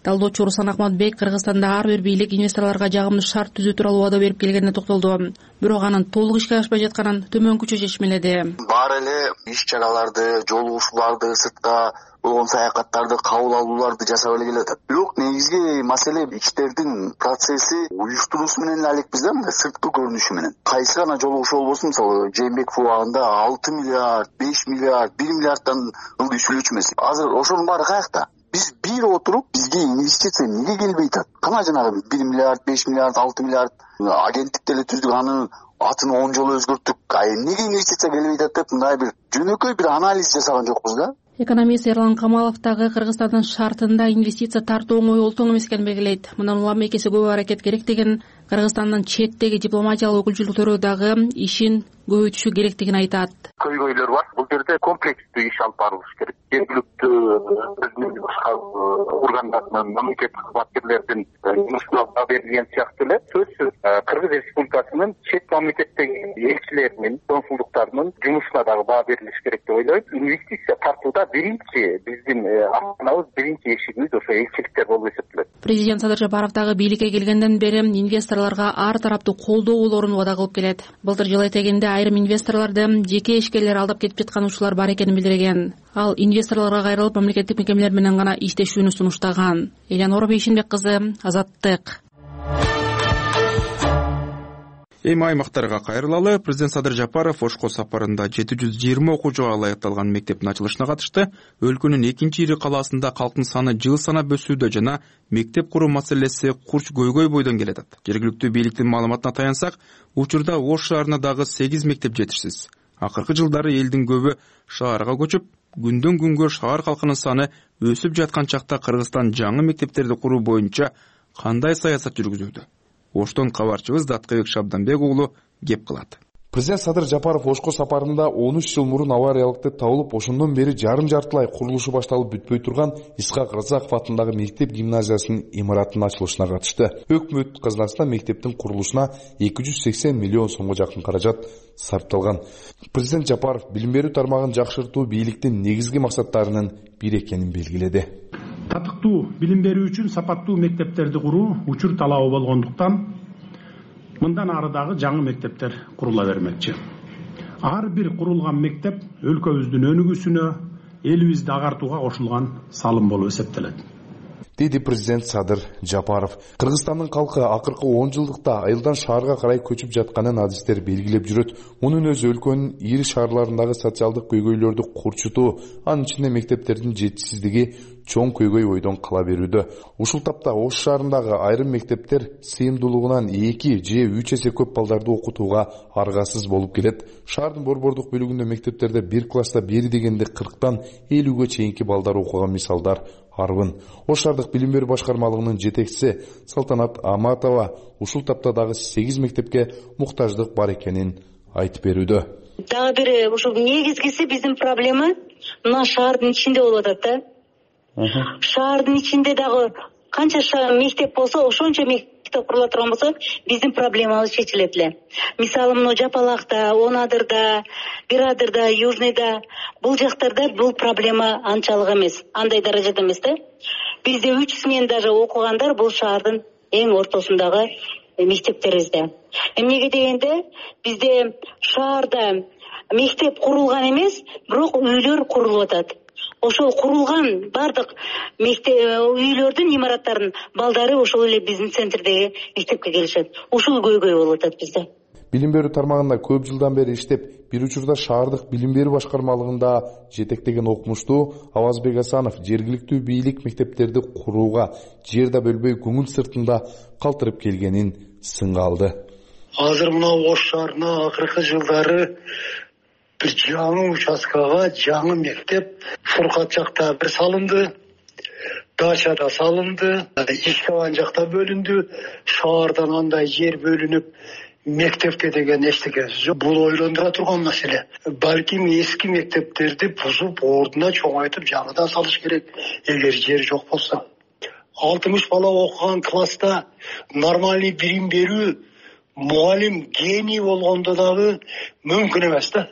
Талдоочу Руслан Акматбек Кыргызстанда ар бир бийлик инвесторлорго жагымдуу шарт түзүү тууралуу убада берип келгенине токтолду. Бирок анын толук ишке ашпай жатканын төмөнкүчө чечмеледи. Баары эле иш-чараларды, жолугушууларды, сыртка болгон саякаттарды, кабыл алууларды жасап эле келатат. Бирок негизги маселе иштердин процесси уюштуруусу менен эле алекпиз да, мындай сырткы көрүнүшү менен. Кайсы гана жолугушуу болбосун, мисалы Жээнбеков убагында 6 миллиард, 5 миллиард, 1 миллиарддан ылдый сүйлөчү эмес. Азыр ошонун баары каякта? Биз бир отуруп, бизге инвестиция эмнеге келбей атат? Кана жанагы 1 миллиард, 5 миллиард, 6 миллиард агенттикти эле түздүк, анын атын 10 жолу өзгөрттүк. Эмнеге инвестиция келбей атат деп мындай бир жөнөкөй бир анализ жасаган жокпуз да. Экономист Эрлан Камалов дагы Кыргызстандын шартында инвестиция тартуу оңой олтоң эмес экенин белгилейт. Мындан улам экесе көп аракет керектигин, Кыргызстандын четтеги дипломатиялык өкүлчүлүктөрү дагы ишин көбөйтүшү керектигин айтат. Көйгөйлөр бар. Бул жерде комплекстүү иш алып барылыш керек. Жергиликтүү башка органдардын, мамлекеттик кызматкерлердин жумушуна берилген сыяктуу эле сөзсүз Кыргыз Республикасынын чет мамлекеттеги элчилеринин, консулдуктарынын жумушуна дагы баа берилиш керек деп ойлойм. Инвестиция тартууда биринчи биздин астанабыз, биринчи эшигибиз ошо элчиликтер болуп эсептелет. Президент Садыр Жапаров дагы бийликке келгенден бери инвесторлорго ар тараптуу колдоо болоорун убада кылып келет. Былтыр жыл этегинде айрым инвесторлорду жеке ишкерлер алдап кетип жаткан учурлар бар экенин билдирген. Ал инвесторлорго кайрылып мамлекеттик мекемелер менен гана иштешүүнү сунуштаган. Элянора Бейшимбек кызы, Азаттык. Эми аймактарга кайрылалы. Президент Садыр Жапаров Ошко сапарында 720 окуучуга ылайыкталган мектептин ачылышына катышты. Өлкөнүн экинчи ири калаасында калктын саны жыл санап өсүүдө жана мектеп куруу маселеси курч көйгөй бойдон келет. Жергиликтүү бийликтин маалыматына таянсак, учурда Ош шаарына дагы 8 мектеп жетишсиз. Акыркы жылдары элдин көбү шаарга көчүп, күндөн күнгө шаар калкынын саны өсүп жаткан чакта Кыргызстан жаңы мектептерди куруу боюнча кандай саясат жүргүзүүдө? Оштон кабарчыбыз Даткыбек Шабданбек уулу кеп кылат. Президент Садыр Жапаров Ошко сапарында 13 жыл мурун авариялыкты табылып, ошондон бери жарым-жартылай курулушу башталып бүтпөй турган Исхак Разаков атындагы мектеп гимназиясынын имаратынын ачылышына катышты. Өкмөт казынасына мектептин курулушуна 280 миллион сомго жакын каражат сарпталган. Президент Жапаров билим берүү тармагын жакшыртуу бийликтин негизги максаттарынын бири экенин белгиледи. Татыктуу билим берүү үчүн сапаттуу мектептерди куруу учур талабы болгондуктан мындан ары дагы жаңы мектептер курула бермекчи. Ар бир курулган мектеп өлкөбүздүн өнүгүүсүнө, элибизди агартууга кошулган салым болуп эсептелет. Деди президент Садыр Жапаров. Кыргызстандын калкы акыркы 10 жылдыкта айылдан шаарга карай көчүп жатканын адистер белгилеп жүрөт. Мунун өзү өлкөнүн ири шаарларындагы социалдык көйгөйлөрдү курчутуу, анын ичинде мектептердин жетишсиздиги чоң көйгөй ойдон кала берүүдө. Ушул тапта Ош шаарындагы айрым мектептер сыйымдуулугунан 2 же 3 эсе көп балдарды окутууга аргасыз болуп келет. Шаардын борбордук бөлүгүндө мектептерде бир класста бери дегенде 40-тан 50-ге чейинки балдар окуган мисалдар арбын. Ош шаардык билим берүү башкармалыгынын жетекчиси Салтанат Аматова ушул тапта дагы 8 мектепке муктаждык бар экенин айтып берүүдө. Дагы бир ушул негизгиси биздин проблема мына шаардын ичинде болуп атат да. Шаардын ичинде дагы канча мектеп болсо, ошончо мектеп курула турган болсо, биздин проблемабыз чечилет эле. Мисалы, мына Жапалакта, Онадырда, Бирадырда, Южныйда, бул жактарда бул проблема анчалык эмес, андай даражада эмес да. Бизде 3 смен даже окугандар бул шаардын эң ортосундагы мектептерибизде. Эмнеге дегенде, бизде шаарда мектеп курулган эмес, бирок үйлөр курулуп атат. Ошол курулган бардык үйлөрдүн имараттарынын балдары ошол эле биздин центрдеги мектепке келишет. Ушул көйгөй болуп атат бизде. Билим берүү тармагында көп жылдан бери иштеп, бир учурда шаардык билим берүү башкармалыгында жетектеген окумуштуу Авазбек Асанов жергиликтүү бийлик мектептерди курууга жер да бөлбөй көңүл сыртында калтырып келгенин сынга алды. Азыр мына Ош шаарына акыркы жылдары бир жаңы участкага жаңы мектеп Фуркат жакта бир салынды, Дачада салынды, Ишкабан жакта бөлүндү. Шаардан андай жер бөлүнүп мектепке деген эчтекеси жок. Бул ойлондура турган маселе. Балким эски мектептерди бузуп, ордуна чоңойтуп жаңыдан салыш керек, эгер жер жок болсо. 60 бала окуган класста нормальный билим берүү, мугалим гений болгондо дагы мүмкүн эмес да.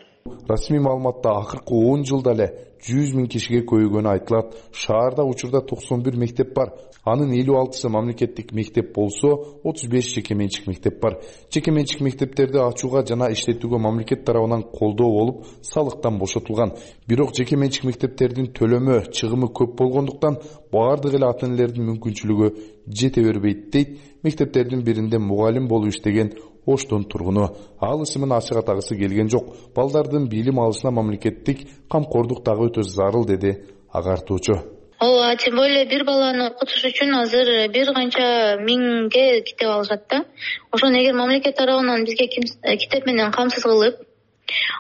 Расмий маалыматта акыркы 10 жылда эле 100 000 кишиге көбөйгөнү айтылат. Шаарда учурда 91 мектеп бар. Анын 56сы мамлекеттик мектеп болсо, 35 жеке менчик мектеп бар. Жеке менчик мектептерди ачууга жана иштетүүгө мамлекет тарабынан колдоо болуп, салыктан бошотулган. Бирок жеке менчик мектептердин төлөмү, чыгымы көп болгондуктан баардык эле ата-энелердин мүмкүнчүлүгү жете бербейт дейт мектептердин биринде мугалим болуп иштеген Оштун тургуну. Ал ысымын ачык атагысы келген жок. Балдардын билим алышына мамлекеттик камкордук дагы өтө зарыл, деди агартуучу. Ооба, тем более бир баланы окутуш үчүн азыр бир канча миңге китеп алышат да. Ошону эгер мамлекет тарабынан бизге китеп менен камсыз кылып,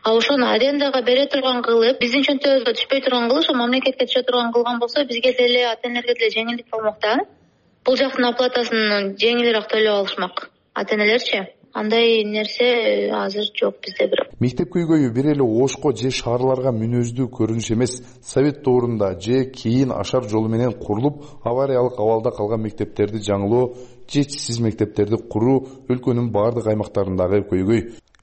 ошону арендага бере турган кылып, биздин чөнтөбүзгө түшпөй турган кылып, ошо мамлекетке түшө турган кылган болсо, бизге деле ата-энелерге деле жеңилдик болмок да. Бул жактын оплатасын жеңилирээк төлөп алышмак ата-энелерчи. Андай нерсе азыр жок бизде бирок. Мектеп көйгөйү бир эле Ошко же шаарларга мүнөздүү көрүнүш эмес. Совет доорунда же кийин ашар жолу менен курулуп, авариялык абалда калган мектептерди жаңылоо, жетишсиз мектептерди куруу өлкөнүн бардык аймактарындагы көйгөй.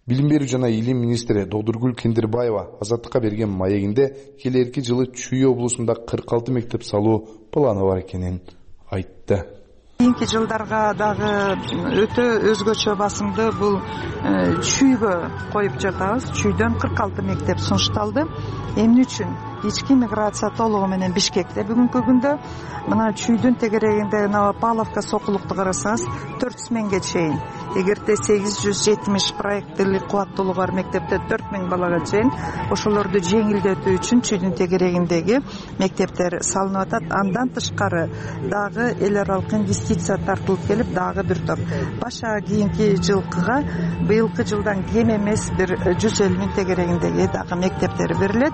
Билим берүү жана илим министри Додургүл Кендирбаева Азаттыкка берген маегинде келерки жылы Чүй облусунда 46 мектеп салуу планы бар экенин айтты. Кийинки жылдарга дагы өтө өзгөчө басымды бул Чүйгө коюп жатабыз. Чүйдөн 46 мектеп сунушталды. Эмне үчүн? Ички миграция толугу менен Бишкекте бүгүнкү күндө мына Чүйдүн тегерегинде Павловка сокулукту карасаңыз 400 миңге чейин. Эгерде 870 проекттилик кубаттуулугу бар мектепте 4000 балага чейин ошолорду жеңилдетүү үчүн Чүйдүн тегерегиндеги мектептер салынып атат. Андан тышкары дагы эл аралык инвестиция тартылып келип, дагы бир топ баша кийинки жылкыга быйылкы жылдан кем эмес бир 150 миң тегерегиндеги дагы мектептер берилет.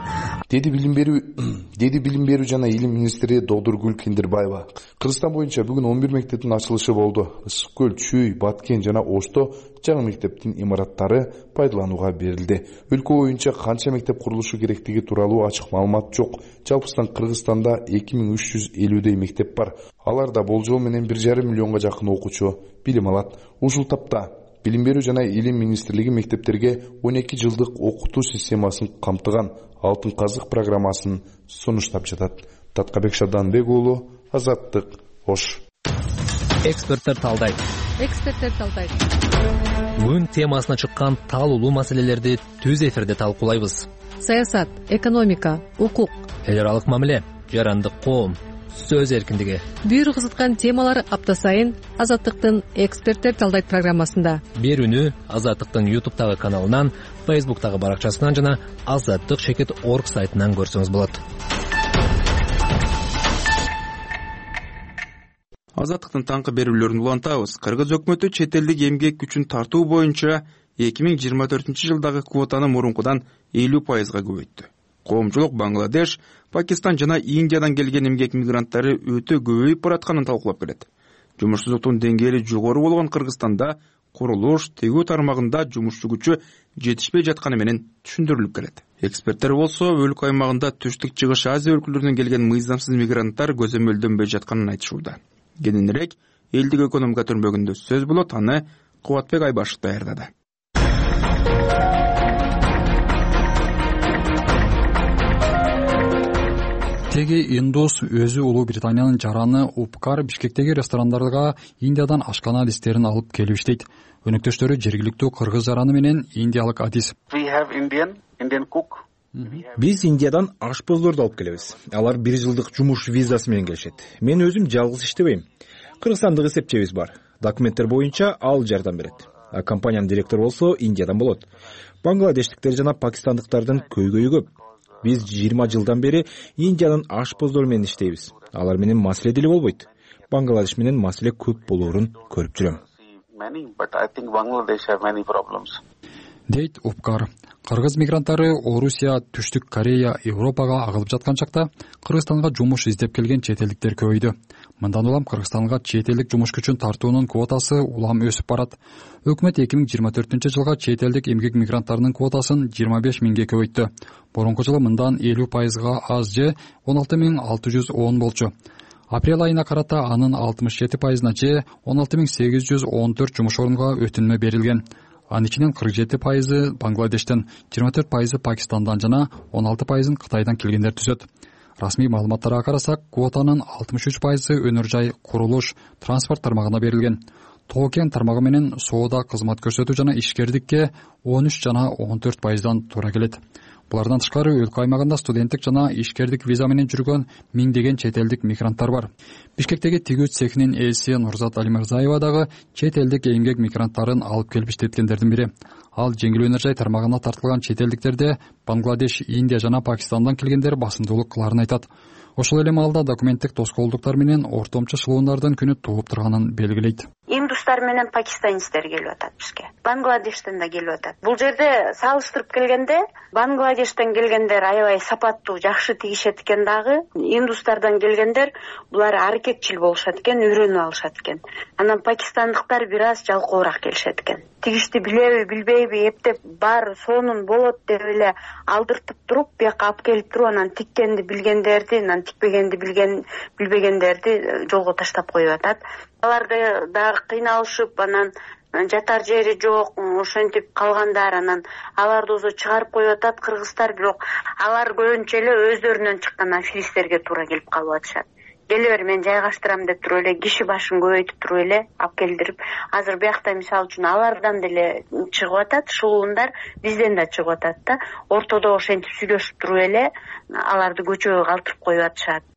Деди билим берүү жана илим министри Додургүл Кендирбаева. Кыргызстан боюнча бүгүн 11 мектептин ачылышы болду. Ысык көл, Чүй, Баткен жана Ошто жаңы мектептин имараттары пайдаланууга берилди. Өлкө боюнча канча мектеп курулушу керектиги тууралуу ачык маалымат жок. Жалпысынан Кыргызстанда 2350 мектеп бар. Аларда болжол менен 1,5 миллионго жакын окуучу билим алат. Ушул тапта Билим берүү жана илим министрлиги мектептерге 12 жылдык окутуу системасын камтыган Алтын казык программасын сунуштап жатат. Таткабек Шаданбек уулу, Азаттык, Ош. Эксперттер талдайт. Бүгүн темасына чыккан талуулуу маселелерди түз эфирде талкуулайбыз. Саясат, экономика, укук, эл аралык мамиле, жарандык коом, сөз эркиндиги. Бир кызыткан темалар апта сайын Азаттыктын эксперттер талдайт программасында. Берүүнү Азаттыктын YouTube'тагы каналынан, Facebook'тагы баракчасынан жана azattik.org сайтынан көрсөңүз болот. Азаттыктын таңкы берүүлөрүн улантабыз. Кыргыз өкмөтү чет элдик эмгек күчүн тартуу боюнча 2024 жылдагы квотаны мурункудан 50%га көбөйттү. Коомчулук Бангладеш, Пакистан жана Индиядан келген эмгек мигранттары өтө көбөйүп баратканын талкуулап келет. Жумушсуздуктун деңгээли жогору болгон Кыргызстанда курулуш, тегүү тармагында жумушчу күчү жетишпей жатканы менен түшүндүрүлүп келет. Эксперттер болсо өлкө аймагында түштүк чыгыш Азия өлкөлөрүнөн келген мыйзамсыз мигранттар көзөмөлдөнбөй жатканын айтышууда. Кененирээк элдик экономика түрмөгүндө сөз болот, аны Кубатбек Айбашев даярдады. Теги индус өзү Улуу Британиянын жараны Упкар Бишкектеги ресторандарга Индиядан ашкана адистерин алып келип иштейт. Өнөктөштөрү жергиликтүү кыргыз жараны менен индиялык адис. Биз Индиядан ашпоздорду алып келебиз. Алар 1 жылдык жумуш визасы менен келишет. Мен өзүм жалгыз иштебейм. Кыргызстандык эсепчебиз бар. Документтер боюнча ал жардам берет. А компаниянын директору болсо Индиядан болот. Бангладештиктер жана пакистандыктардын көйгөйү көп. Биз 20 жылдан бери Индиянын ашпоздору менен иштейбиз. Алар менен маселе деле болбойт. Бангладеш менен маселе көп болоорун көрүп жүрөм. Дейт Упкар. Кыргыз мигранттары Орусия, Түштүк Корея, Европага агылып жаткан чакта Кыргызстанга жумуш издеп келген чет элдиктер көбөйдү. Мындан улам Кыргызстанга чет элдик жумуш күчүн тартуунун квотасы улам өсүп барат. Өкмөт 2024-жылга чет элдик эмгек мигранттарынын квотасын 25 миңге көбөйттү. Борунку жылы мындан 50%га аз же 16610 болчу. Апрель айына карата анын 67%на же 16814 жумуш орунга өтүнмө берилген. Анын ичинен 47% Бангладештен, 24% Пакистандан жана 16% Кытайдан келгендер түзөт. Расмий маалыматтарга карасак, квотанын 63% өнөр жай, курулуш, транспорт тармагына берилген. Тоо кен тармагы менен соода, кызмат көрсөтүү жана ишкердикке 13 жана 14%дан туура келет. Булардан тышкары өлкө аймагында студенттик жана ишкердик виза менен жүргөн миңдеген чет элдик мигранттар бар. Бишкектеги тигүү цехинин ээси Нурзат Алимырзаева дагы чет элдик эмгек мигранттарын алып келип иштеткендердин бири. Ал жеңил өнөр жай тармагына тартылган чет элдиктерде Бангладеш, Индия жана Пакистандан келгендер басымдуулук кыларын айтат. Ошол эле маалда документтик тоскоолдуктар менен ортомчу шылуундардын күнү тууп турганын белгилейт. Индустар менен пакистанецтер келип атат бизге. Бангладештен да келип атат. Бул жерде салыштырып келгенде Бангладештен келгендер аябай сапаттуу, жакшы тигишет экен дагы. Индустардан келгендер булар аракетчил болушат экен, үйрөнүп алышат экен. Анан пакистандыктар бир аз жалкоораак келишет экен. Тигишти билеби, билбейби, эптеп бар сонун болот деп эле алдыртып туруп, бияка алып келип туруп, анан тиккенди билгендерди, анан тикпегенди билбегендерди жолго таштап коюп атат. Аларды дагы кыйналышып, анан жатар жери жок, ошентип калгандар, анан аларды өзү чыгарып коюп атат кыргыздар, бирок алар көбүнчө эле өздөрүнөн чыккан аферисттерге туура келип калып атышат. Келе бер, мен жайгаштырам деп туруп эле киши башын көбөйтүп туруп эле алып келдирип, азыр биякта мисалы үчүн алардан деле чыгып атат, шылуундар бизден да чыгып атат да. Ортодо ошентип сүйлөшүп туруп эле аларды көчөгө калтырып коюп атышат.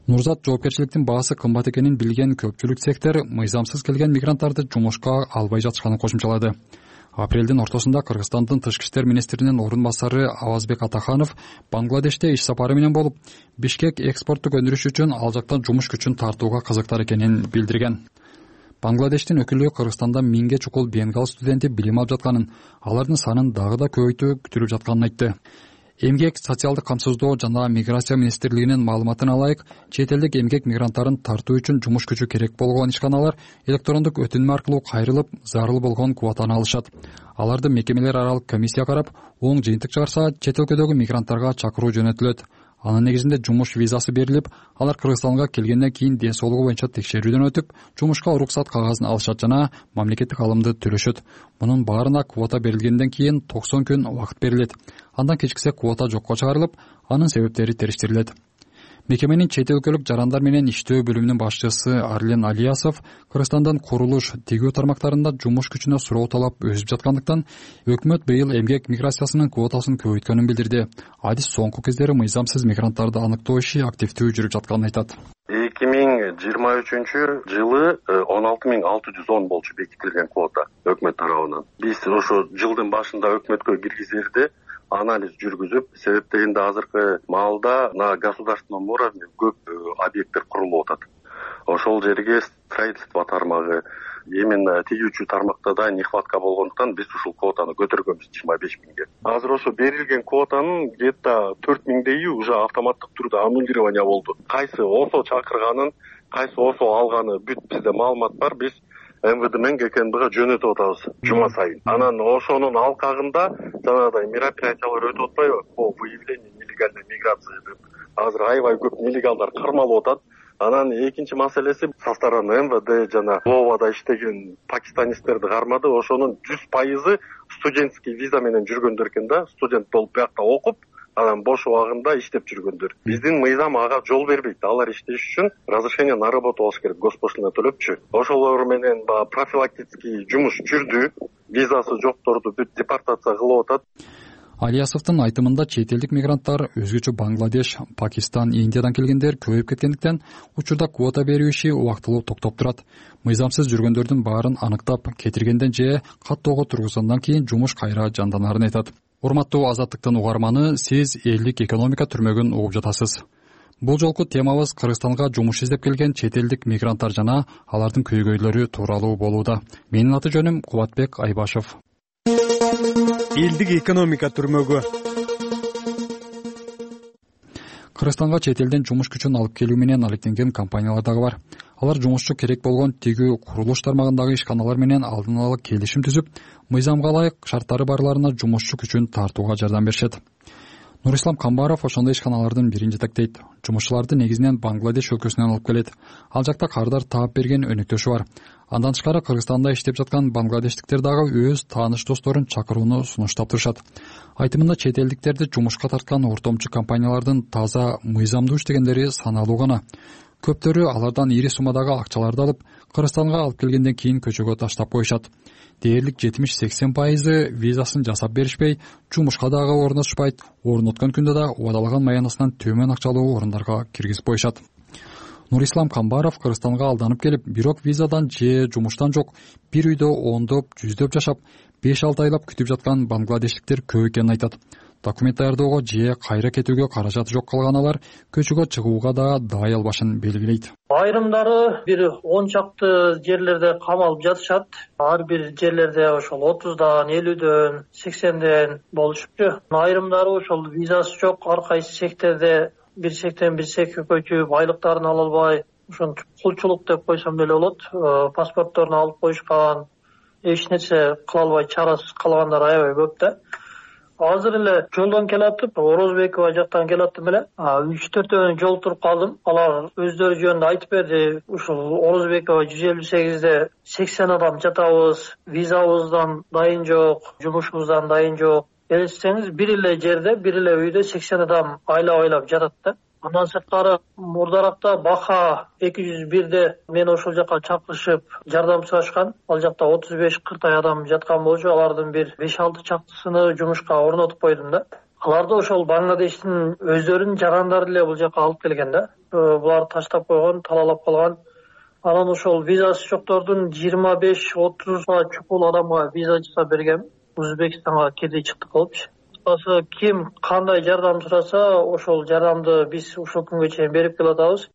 Нурзат жоопкерчиликтин баасы кымбат экенин билген көпчүлүк цехтер мыйзамсыз келген мигранттарды жумушка албай жатышканын кошумчалады. Апрелдин ортосунда Кыргызстандын тышкы иштер министринин орун басары Авазбек Атаханов Бангладеште иш сапары менен болуп, Бишкек экспорттук өндүрүш үчүн ал жактан жумуш күчүн тартууга кызыктар экенин билдирген. Бангладештин өкүлү Кыргызстанда 1000ге чукул бенгал студенти билим алып жатканын, алардын санын дагы да көбөйтүү күтүлүп жатканын айтты. Эмгек, социалдык камсыздоо жана миграция министрлигинин маалыматына ылайык, чет элдик эмгек мигранттарын тартуу үчүн жумуш күчү керек болгон ишканалар электрондук өтүнмө аркылуу кайрылып, зарыл болгон квотаны алышат. Аларды мекемелер аралык комиссия карап, оң жыйынтык чыгарса, чет өлкөдөгү мигранттарга чакыруу жөнөтүлөт. Анын негизинде жумуш визасы берилип, алар Кыргызстанга келгенден кийин ден соолугу боюнча текшерүүдөн өтүп, жумушка уруксат кагазын алышат жана мамлекеттик алымды төлөшөт. Мунун баарына квота берилгенден кийин 90 күн убакыт берилет. Андан кечиксе квота жокко чыгарылып, анын себептери териштирилет. Мекеменин чет өлкөлүк жарандар менен иштөө бөлүмүнүн башчысы Арлен Алиясов Кыргызстандан курулуш, тигүү тармактарында жумуш күчүнө суроо талап өсүп жаткандыктан, өкмөт быйыл эмгек миграциясынын квотасын көбөйткөнүн билдирди. Адис соңку кездери мыйзамсыз мигранттарды аныктоо иши активдүү жүрүп жатканын айтат. 2023 жылы 16610 болчу бекитилген квота өкмөт тарабынан. Биз ошо жылдын башында өкмөткө киргизерде анализ жүргүзүп, себеп дегенде азыркы маалда на государственном уровне көп объекттер курулуп атат. Ошол жерге строительство тармагы, именно тигүүчү тармакта да нехватка болгондуктан биз ушул квотаны көтөргөнбүз 25 миңге. Азыр ошо берилген квотанын где-то 4 миңдейи уже автоматтык түрдө аннулирование болду. Кайсы ОСО чакырганын, кайсы ОСО алганы бүт бизде маалымат бар. Биз МВД менен ГКНБга жөнөтүп атабыз жума сайын. Анан ошонун алкагында жанагыдай мероприятиялар өтүп атпайбы? По выявлению нелегальной миграции деп. Азыр аябай көп нелегалдар кармалып атат. Анан экинчи маселеси со стороны МВД жана Вовада иштеген пакистанецтерди кармады. Ошонун 100% студенческий виза менен жүргөндөр экен да, студент болуп биякта окуп, анан бош убагында иштеп жүргөндөр. Биздин мыйзам ага жол бербейт. Алар иштеш үчүн разрешение на работу алыш керек, госпошлина төлөпчү. Ошолор менен профилактический жумуш жүрдү. Визасы жокторду бүт депортация кылып атат. Алиясовдун айтымында чет элдик мигранттар, өзгөчө Бангладеш, Пакистан, Индиядан келгендер көбөйүп кеткендиктен учурда квота берүү иши убактылуу токтоп турат. Мыйзамсыз жүргөндөрдүн баарын аныктап, кетиргенден же каттоого тургузгандан кийин жумуш кайра жанданарын айтат. Урматтуу Азаттыктын угарманы, сиз элдик экономика түрмөгүн угуп жатасыз. Бул жолку темабыз Кыргызстанга жумуш издеп келген чет элдик мигранттар жана алардын көйгөйлөрү тууралуу болууда. Менин аты жөнүм Кубатбек Айбашев. Элдик экономика түрмөгү. Кыргызстанга чет элден жумуш күчүн алып келүү менен алектенген компаниялар дагы бар. Алар жумушчу керек болгон тигүү курулуш тармагындагы ишканалар менен алдын ала келишим түзүп, мыйзамга ылайык шарттары барларына жумушчу күчүн тартууга жардам беришет. Нурислам Камбаров ошондой ишканалардын бирин жетектейт. Жумушчуларды негизинен Бангладеш өлкөсүнөн алып келет. Ал жакта кардар таап берген өнөктөшү бар. Андан тышкары Кыргызстанда иштеп жаткан бангладештиктер дагы өз тааныш досторун чакырууну сунуштап турушат. Айтымында чет элдиктерди жумушка тарткан ортомчу компаниялардын таза мыйзамдуу иштегендери саналуу гана. Көптөрү алардан ири суммадагы акчаларды алып, Кыргызстанга алып келгенден кийин көчөгө таштап коюшат. Дээрлик 70-80% визасын жасап беришпей, жумушка дагы орнотушпайт, орноткон күндө да убадалаган маянасынан төмөн акчалуу орундарга киргизип коюшат. Нурислам Камбаров Кыргызстанга алданып келип, бирок визадан же жумуштан жок, бир үйдө ондоп, жүздөп жашап, 5-6 айлап күтүп жаткан бангладештиктер көп экенин айтат. Документ даярдоого же кайра кетүүгө каражаты жок калган алар көчөгө чыгууга да дай албашын белгилейт. Айрымдары бир 10 чакты жерлерде камалып жатышат. Ар бир жерлерде ошол 30дан, 50дөн, 80ден болушупчу. Айрымдары ошол визасы жок, ар кайсы секторде бир сектен бир секке көчүп, айлыктарын ала албай, ошентип кулчулук деп койсом деле болот. Паспортторун алып коюшкан, эч нерсе кыла албай чарасыз калгандар аябай көп да. Азыр эле жолдон келатып, Орозбекова жактан келаттым эле. 3-4 жолтуруп калдым. Алар өздөрү жөнүндө айтып берди. Ушул Орозбекова 158де 80 адам жатабыз, визабыздан дайын жок, жумушубуздан дайын жок. Элестеңиз, бир эле жерде, бир эле үйдө 80 адам айлап жатат да. Андан сырткары мурдаракта Баха 201де мен ошол жака чакырышып жардам сурашкан. Ал жакта 35-40 адам жаткан болчу. Алардын бир 5-6 чактысыны жумушка орнотуп койдум да. Аларды ошол Бангладештин өздөрүнүн жарандары эле бул жака алып келген да. Булар таштап койгон, талалап калган. Анан ошол визасы жоктордун 25-30 чукул адамга виза жасап берген. Өзбекстанга кирди чыкты болупчу. Ким кандай жардам сураса, ошол жардамды биз ушул күнгө чейин берип келатабыз.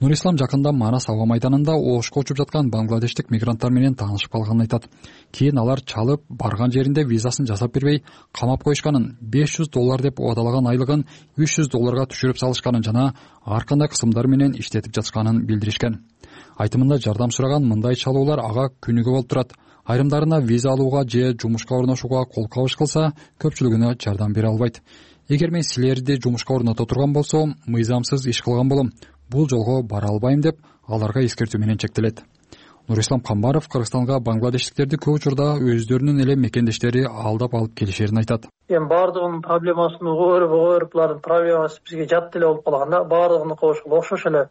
Нурислам жакында Манас аба майданында ошко учуп жаткан бангладештик мигранттар менен таанышып калганын айтат. Кийин алар чалып, барган жеринде визасын жасап бербей, камап коюшканын, $500 деп убадалаган айлыгын $300 түшүрүп салышканын жана ар кандай кысымдар менен иштетип жатышканын билдиришкен. Айтымында жардам сураган мындай чалуулар ага күнүгө болуп турат. Айрымдарына виза алууга же жумушка орношууга кол кабыш кылса, көпчүлүгүнө жардам бере албайт. Эгер мен силерди жумушка орното турган болсом, мыйзамсыз иш кылган болом. Бул жолго бара албайм деп аларга эскертүү менен чектелет. Нурислам Камбаров Кыргызстанга бангладештиктерди көп учурда өздөрүнүн эле мекендештери алдап алып келишерин айтат. Баардыгынын проблемасын угуп, булардын проблемасы бизге жат деле болуп калганда, баардыгыныкы окшош эле.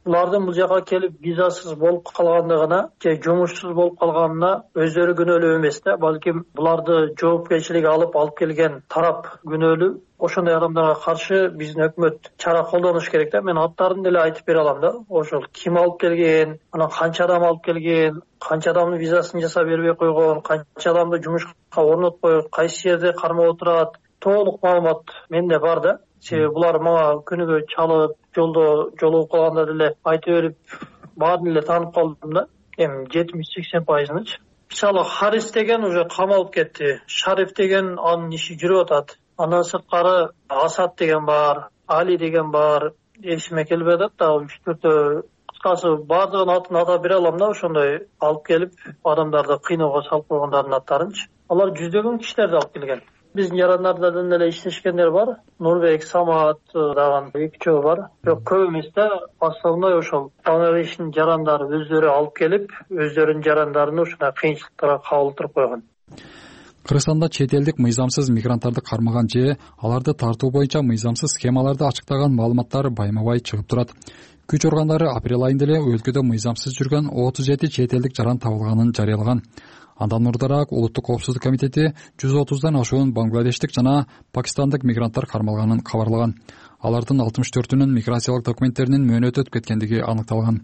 Булардын бул жака келип визасыз болуп калгандыгына же жумушсуз болуп калганына өздөрү күнөөлүү эмес да, балким буларды жоопкерчиликке алып келген тарап күнөөлүү. Ошондой адамдарга каршы биздин өкмөт чара колдонуш керек да. Мен аттарын деле айтып бере алам да. Ошол ким алып келген, анан канча адам алып келген, канча адамдын визасын жасап бербей койгон, канча адамды жумушка орнотпой, кайсы жерде кармап отурат, толук маалымат менде бар да. Себеби булар мага күнүгө чалып, жолдо жолугуп калганда деле айтып берип, баарын эле таанып калдым да. 70-80%-нычы. Мисалы, Харис деген уже камалып кетти. Шариф деген анын иши жүрүп атат. Андан сырткары Асад деген бар, Али деген бар. Эсиме келбей атат да, 3-4 кыскасы баардыгынын атын атап бере алам да, ошондой алып келип адамдарды кыйноого салып койгондордун аттарынчы. Алар жүздөгөн кишилерди алып келген. Биздин жарандардан эле иштешкендер бар. Нурбек, Самат дагы 2 бар. Бирок көп эмес да, основной ошол Бангладештин жарандары өздөрү алып келип, өздөрүнүн жарандарын ушундай кыйынчылыктарга кабылтырып койгон. Кыргызстанда чет элдик мыйзамсыз мигранттарды кармаган же аларды тартуу боюнча мыйзамсыз схемаларды ачыктаган маалыматтар байма-бай чыгып турат. Күч органдары апрель айында эле өлкөдө мыйзамсыз жүргөн 37 чет элдик жаран табылганын жарыялаган. Андан мурдараак Улуттук коопсуздук комитети 130дан ашуун бангладештик жана пакистандык мигранттар кармалганын кабарлаган. Алардын 64-үнүн миграциялык документтеринин мөөнөтү өтүп кеткендиги аныкталган.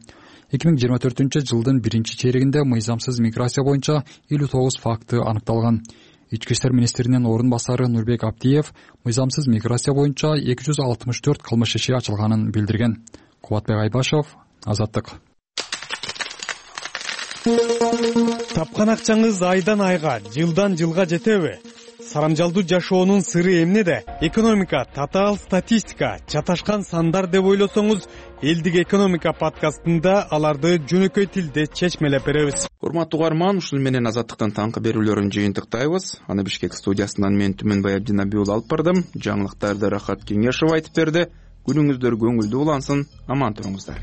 2024-жылдын 1-чейрегинде мыйзамсыз миграция боюнча 59 факты аныкталган. Ички иштер министринин орун басары Нурбек Абдиев мыйзамсыз миграция боюнча 264 кылмыш иши ачылганын билдирген. Кубатбек Айбашев, Азаттык. Тапкан акчаңыз айдан айга, жылдан жылга жетеби? Сарамжалдуу жашоонун сыры эмнеде? Экономика, татаал статистика, чаташкан сандар деп ойлосоңуз, Элдик экономика подкастында аларды жөнөкөй тилде чечмелеп беребиз. Урматтуу угарман, ушуну менен Азаттыктын таңкы берүүлөрүн жыйынтыктайбыз. Аны Бишкек студиясынан мен Түмөнбай Абдинабиул алып бардым. Жаңылыктарды Рахат Кеңешов айтып берди. Күнүңүздөр көңүлдүү улансын, аман туруңуздар.